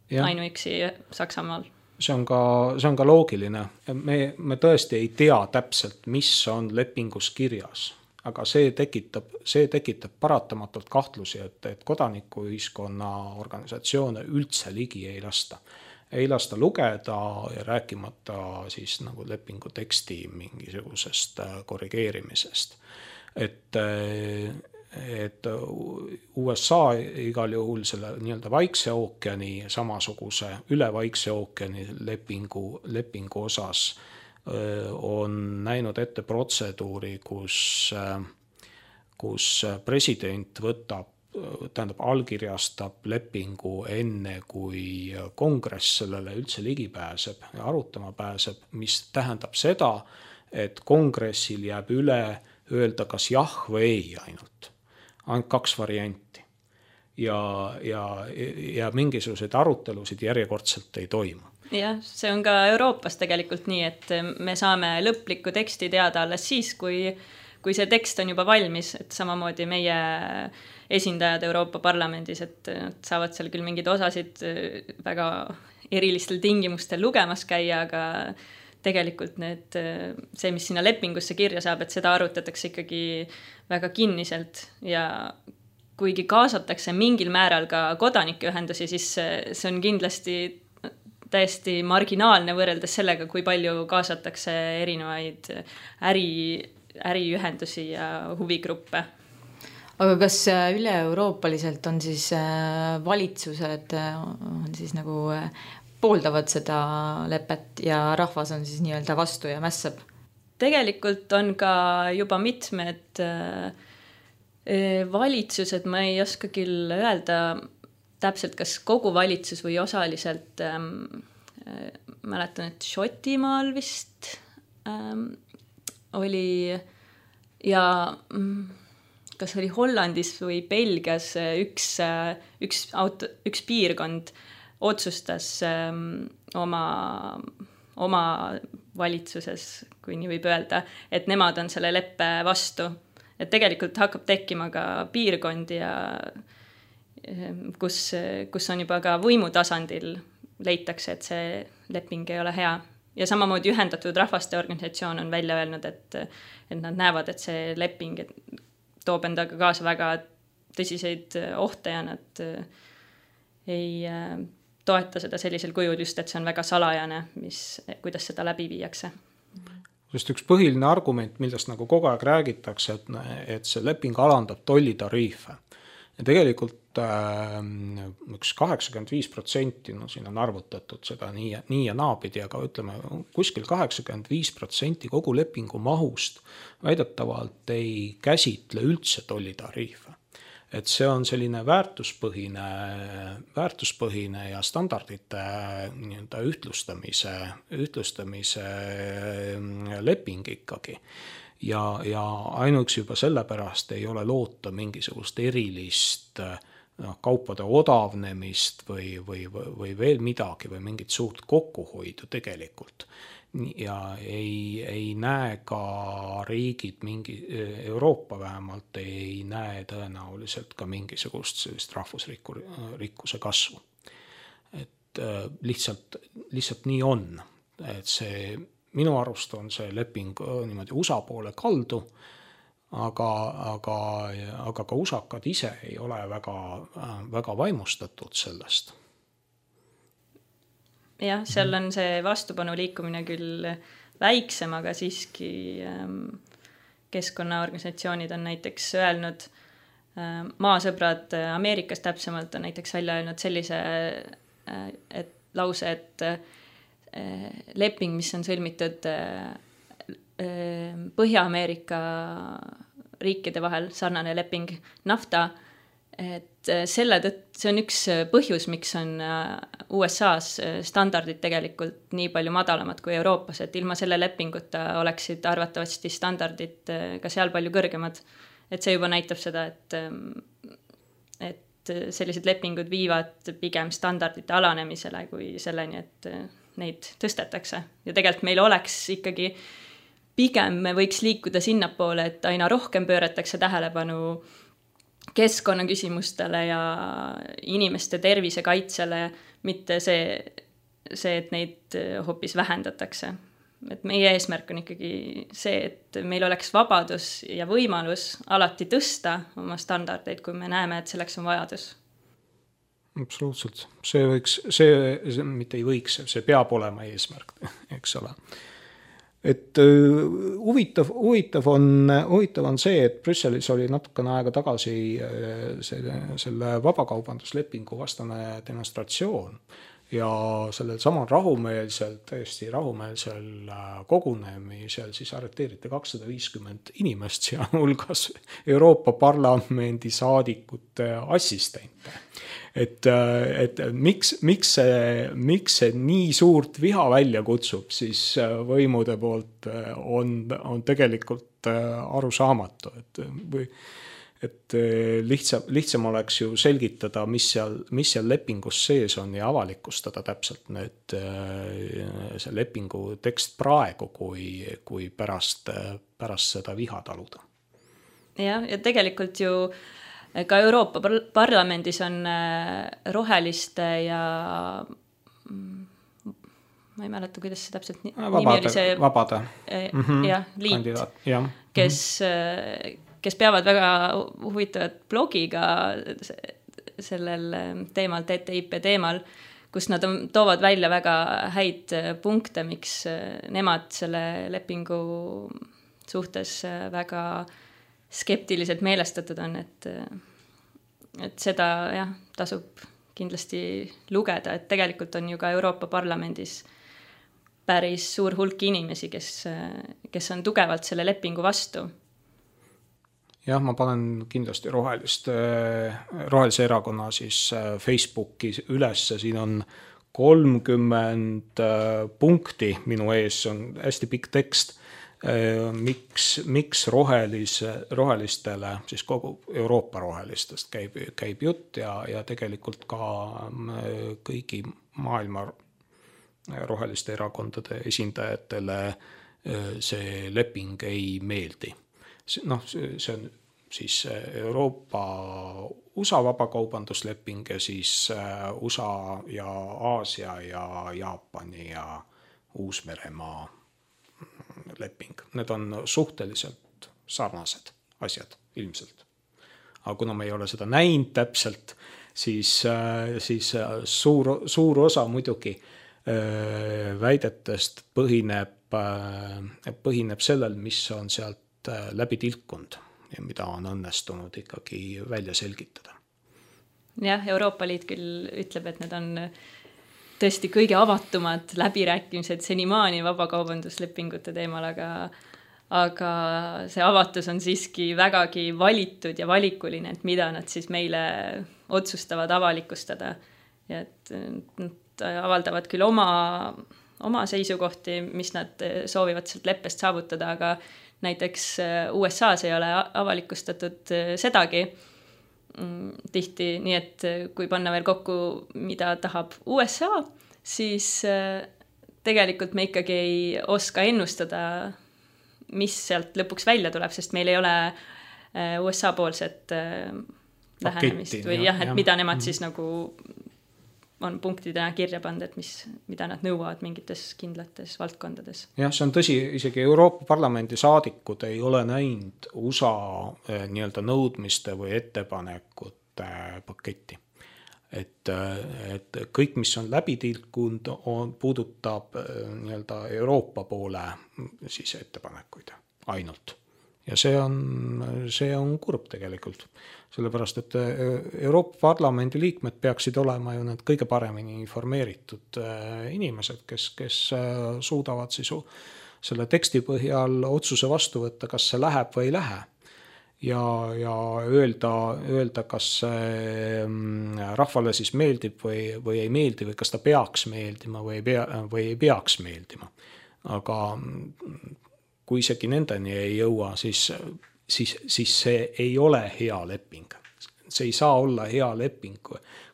Ja. Ainuüksi Saksamaal. See on ka loogiline. Me tõesti ei tea täpselt, mis on lepingus kirjas, aga see tekitab paratamatult kahtlusi, et kodanikuühiskonna organisatsioone üldse ligi ei lasta. Ei lasta lugeda ja rääkimata siis nagu lepingu teksti mingisugusest korrigeerimisest. Et USA igal juhul selle nii-öelda Vaikse ookeani samasuguse üle Vaikse ookeani lepingu osas on näinud ette protseduuri, kus president allkirjastab lepingu enne, kui kongress sellele üldse ligi pääseb ja arutama pääseb, mis tähendab seda, et kongressil jääb üle öelda kas jah või ei ainult 2 varianti. Ja mingisuguseid arutelusid järjekordselt ei toimu. Jah, see on ka Euroopas tegelikult nii, et me saame lõplikku teksti teada alles siis, kui see tekst on juba valmis, et samamoodi meie esindajad Euroopa Parlamendis, et nad saavad seal küll mingid osasid väga erilistel tingimustel lugemas käia, aga tegelikult see, mis sinna lepingusse kirja saab, et seda arutatakse ikkagi väga kinniselt ja kuigi kaasatakse mingil määral ka kodanikeühendusi, siis see on kindlasti täiesti marginaalne võrreldes sellega, kui palju kaasatakse erinevaid äriühendusi ja huvigruppe. Aga kas üle-euroopaliselt on siis valitsused on siis nagu pooldavad seda lepet ja rahvas on siis nii-öelda vastu ja mässab? Tegelikult on ka juba mitmed valitsused, ma ei oska küll öelda täpselt, kas kogu valitsus või osaliselt, mäletan, et Šotimaal vist oli ja kas oli Hollandis või Belgias üks piirkond otsustas oma valitsuses, kui nii võib öelda, et nemad on selle leppe vastu. Et tegelikult hakkab tekkima ka piirkondi, kus on juba ka võimutasandil leitakse, et see leping ei ole hea. Ja samamoodi Ühendatud Rahvaste Organisatsioon on välja öelnud, et nad näevad, et see leping toob endaga kaasa väga tõsiseid ohte ja nad ei toeta seda sellisel kujul just, et see on väga salajane, kuidas seda läbi viiakse. Just üks põhiline argument, millest nagu kogu aeg räägitakse, et see leping alandab tollitariife. Ja tegelikult üks 85%, siin on arvutatud seda nii ja naapidi, aga ütleme, kuskil 85% kogu lepingu mahust väidetavalt ei käsitle üldse tollitariife. Et see on selline väärtuspõhine ja standardite ühtlustamise leping ikkagi. Ja ainuüksi juba sellepärast ei ole loota mingisugust erilist kaupade odavnemist või veel midagi või mingit suurt kokkuhoidu tegelikult. Ja ei näe ka riigid, Euroopa vähemalt ei näe tõenäoliselt ka mingisugust sellist rahvusrikkuse kasvu. et lihtsalt nii on, et see minu arust on see leping niimoodi USA poole kaldu, aga ka usakad ise ei ole väga vaimustatud sellest. Jah, seal on see vastupanu liikumine küll väiksem, aga siiski keskkonnaorganisatsioonid on näiteks öelnud, maasõbrad Ameerikas täpsemalt on näiteks välja öelnud sellise lause, et leping, mis on sõlmitud Põhja-Ameerika riikide vahel, sarnane leping NAFTA, et see on üks põhjus, miks on USA-s standardid tegelikult nii palju madalamad kui Euroopas, et ilma selle lepinguta oleksid arvatavasti standardid ka seal palju kõrgemad. Et see juba näitab seda, et sellised lepingud viivad pigem standardite alanemisele kui selleni, et neid tõstetakse. Ja tegelikult meil oleks ikkagi pigem me võiks liikuda sinnapoole, et aina rohkem pööratakse tähelepanu keskkonnaküsimustele ja inimeste tervise kaitsele, mitte see, et neid hoopis vähendatakse. Et meie eesmärk on ikkagi see, et meil oleks vabadus ja võimalus alati tõsta oma standardeid, kui me näeme, et selleks on vajadus. Absoluutselt. See mitte ei võiks, see peab olema eesmärk, eks ole. Et huvitav on see, et Brüsselis oli natukene aega tagasi selle vabakaubanduslepingu vastane demonstratsioon ja sellel samal täiesti rahumeelsel kogunemisel siis arreteeriti 250 inimest, sealhulgas Euroopa Parlamendi saadikute assistente. Et miks see nii suurt viha välja kutsub, siis võimude poolt on tegelikult arusaamatu, et lihtsam oleks ju selgitada, mis seal lepingus sees on ja avalikustada täpselt see lepingu tekst praegu, kui pärast seda viha taluda. Ja tegelikult ju ka Euroopa Parlamendis on roheliste ja ma ei mäleta, kuidas see täpselt nimi oli see vabade liit, kandidaat, kes peavad väga huvitavat blogiga sellel teemal, TTIP teemal, kus nad toovad välja väga häid punkte, miks nemad selle lepingu suhtes väga skeptiliselt meelestatud on, et seda tasub kindlasti lugeda, et tegelikult on ju ka Euroopa Parlamendis päris suur hulk inimesi, kes on tugevalt selle lepingu vastu. Jah, ma panen kindlasti rohelise erakonna siis Facebooki üles, siin on 30 punkti minu ees, on hästi pikk tekst, miks rohelistele, siis kogu Euroopa rohelistest käib jutt ja tegelikult ka kõigi maailma roheliste erakondade esindajatele see leping ei meeldi. See on siis Euroopa USA vabakaubandusleping ja siis USA ja Aasia ja Jaapani ja Uus-Meremaa leping. Need on suhteliselt sarnased asjad ilmselt. Aga kuna me ei ole seda näinud täpselt, siis suur osa muidugi väidetest põhineb sellel, mis on sealt läbi tilkunud ja mida on õnnestunud ikkagi välja selgitada. Jah, Euroopa Liit küll ütleb, et need on tõesti kõige avatumad läbirääkimised senimaani vabakaubanduslepingute teemal, aga see avatus on siiski vägagi valitud ja valikuline, et mida nad siis meile otsustavad avalikustada. Ja et nad avaldavad küll oma seisukohti, mis nad soovivad sealt leppest saavutada, aga näiteks USA-s ei ole avalikustatud sedagi tihti, nii et kui panna veel kokku, mida tahab USA, siis tegelikult me ikkagi ei oska ennustada, mis sealt lõpuks välja tuleb, sest meil ei ole USA poolset lähenemist või et mida nemad siis nagu on punktidena kirja pannud, et mida nad nõuavad mingites kindlates valdkondades. Jah, see on tõsi, isegi Euroopa Parlamendi saadikud ei ole näinud USA nii-öelda nõudmiste või ettepanekute paketti. Et kõik, mis on läbi tilkunud, puudutab nii-öelda Euroopa poole siis ettepanekuid ainult. Ja see on kurb tegelikult, sellepärast, et Euroopa Parlamendi liikmed peaksid olema ju need kõige paremini informeeritud inimesed, kes suudavad siis selle teksti põhjal otsuse vastu võtta, kas see läheb või ei lähe. Ja öelda, kas rahvale siis meeldib või ei meeldi või kas ta peaks meeldima või ei peaks meeldima. Aga kui isegi nendeni ei jõua, siis see ei ole hea leping. See ei saa olla hea leping,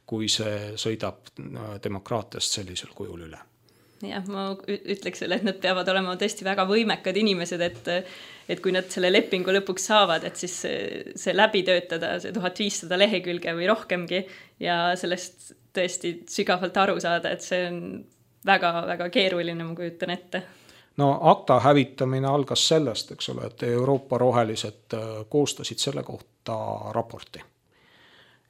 kui see sõidab demokraatiast sellisel kujul üle. Jah, ma ütleks selle, et nad peavad olema tõesti väga võimekad inimesed, et kui nad selle lepingu lõpuks saavad, et siis see läbi töötada, see 1500 lehekülge või rohkemgi ja sellest tõesti sügavalt aru saada, et see on väga-väga keeruline, ma kujutan ette. No ACTA hävitamine algas sellest, eks ole, et Euroopa rohelised koostasid selle kohta raporti.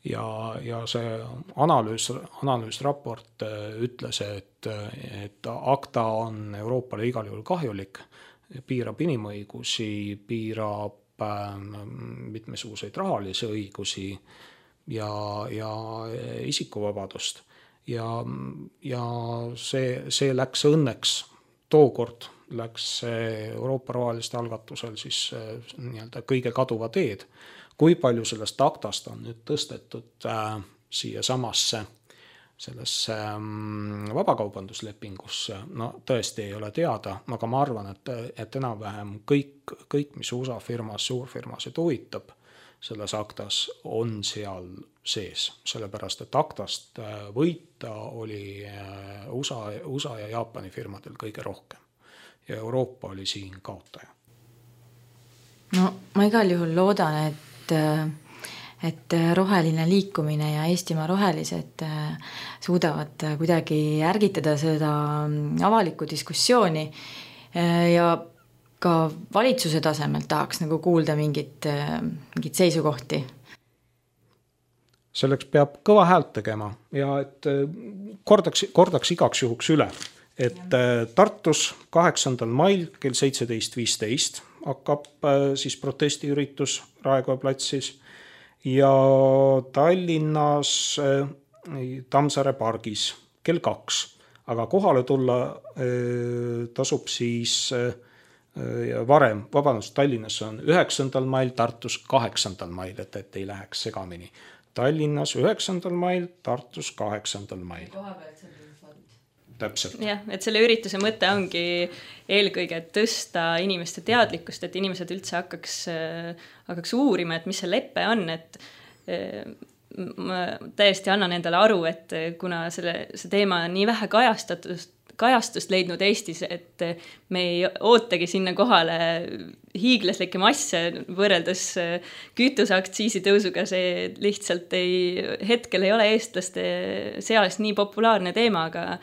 Ja see analüüsraport ütles, et ACTA on Euroopale igal juhul kahjulik, piirab inimõigusi, piirab mitmesuguseid rahalisi õigusi ja isikuvabadust. Ja see läks õnneks tookord läks Euroopa roheliste algatusel siis nii-öelda kõige kaduva teed. Kui palju sellest ACTA-st on nüüd tõstetud siia samasse sellesse vabakaubanduslepingusse, no tõesti ei ole teada, aga ma arvan, et enam-vähem kõik, mis USA firmas, suurfirmasid huvitab selles ACTA-s, on seal sees, sellepärast, et ACTA-st võita oli USA ja Jaapani firmadel kõige rohkem ja Euroopa oli siin kaotaja. No ma igal juhul loodan, et roheline liikumine ja Eestimaa rohelised suudavad kuidagi ärgitada seda avalikku diskussiooni ja ka valitsuse tasemel tahaks nagu kuulda mingit seisukohti. Selleks peab kõva häält tegema ja et kordaks igaks juhuks üle, et Tartus 8. mail kell 17.15 hakkab siis protestiüritus Raekoja platsis ja Tallinnas Tammsaare pargis kell 2. Aga kohale tulla tasub siis varem, Tallinnas on 9. mail, Tartus 8. mail, et ei läheks segamini. Tallinnas 9. mail, Tartus 8. mail. Täpselt. Jah, et selle ürituse mõte ongi eelkõige tõsta inimeste teadlikkust, et inimesed üldse hakkaks uurima, et mis see leppe on, et ma täiesti annan endale aru, et kuna see teema on nii vähe kajastust leidnud Eestis, et me ei ootagi sinna kohale hiiglaslikke masse võrreldes kütuseaktsiisi tõusuga, see lihtsalt hetkel ei ole eestlaste seas nii populaarne teema, aga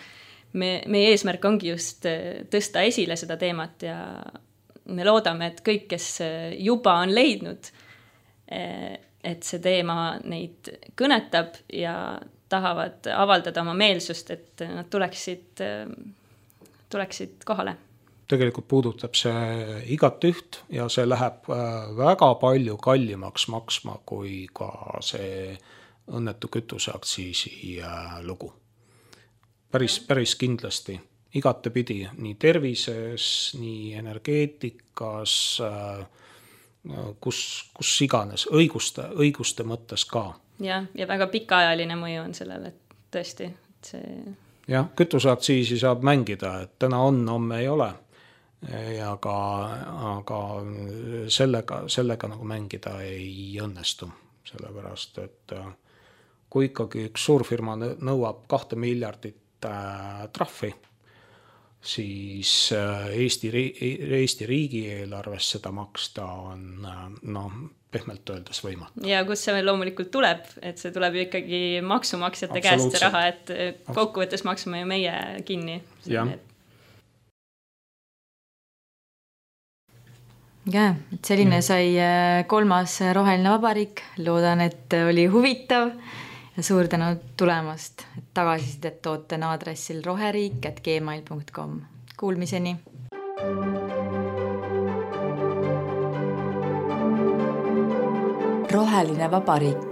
meie eesmärk ongi just tõsta esile seda teemat ja me loodame, et kõik, kes juba on leidnud, et see teema neid kõnetab ja tahavad avaldada oma meelsust, et nad tuleksid kohale. Tegelikult puudutab see igat üht ja see läheb väga palju kallimaks maksma kui ka see õnnetu kütuseaktsiisi lugu. Päris kindlasti. Igatepidi nii tervises, nii energeetikas, kus iganes, õiguste mõttes ka. Ja väga pikaajaline mõju on sellele, et tõesti. Jah, kütuseaktsiisi saab mängida, et täna on, homme ei ole. Aga sellega nagu mängida ei õnnestu, sellepärast, et kui ikkagi üks suurfirma nõuab 2 miljardit trahvi siis Eesti riigieelarves seda maksta on pehmelt öeldes võimatu. Ja kus see loomulikult tuleb, et see tuleb ju ikkagi maksumaksjate käest see raha, et kokkuvõttes maksame ju meie kinni. Et selline sai 3. Roheline Vabariik. Loodan, et oli huvitav ja suur tänu tulemast. Tagasisidet toote aadressil roheriik@gmail.com. Kuulmiseni! Roheline Vabariik.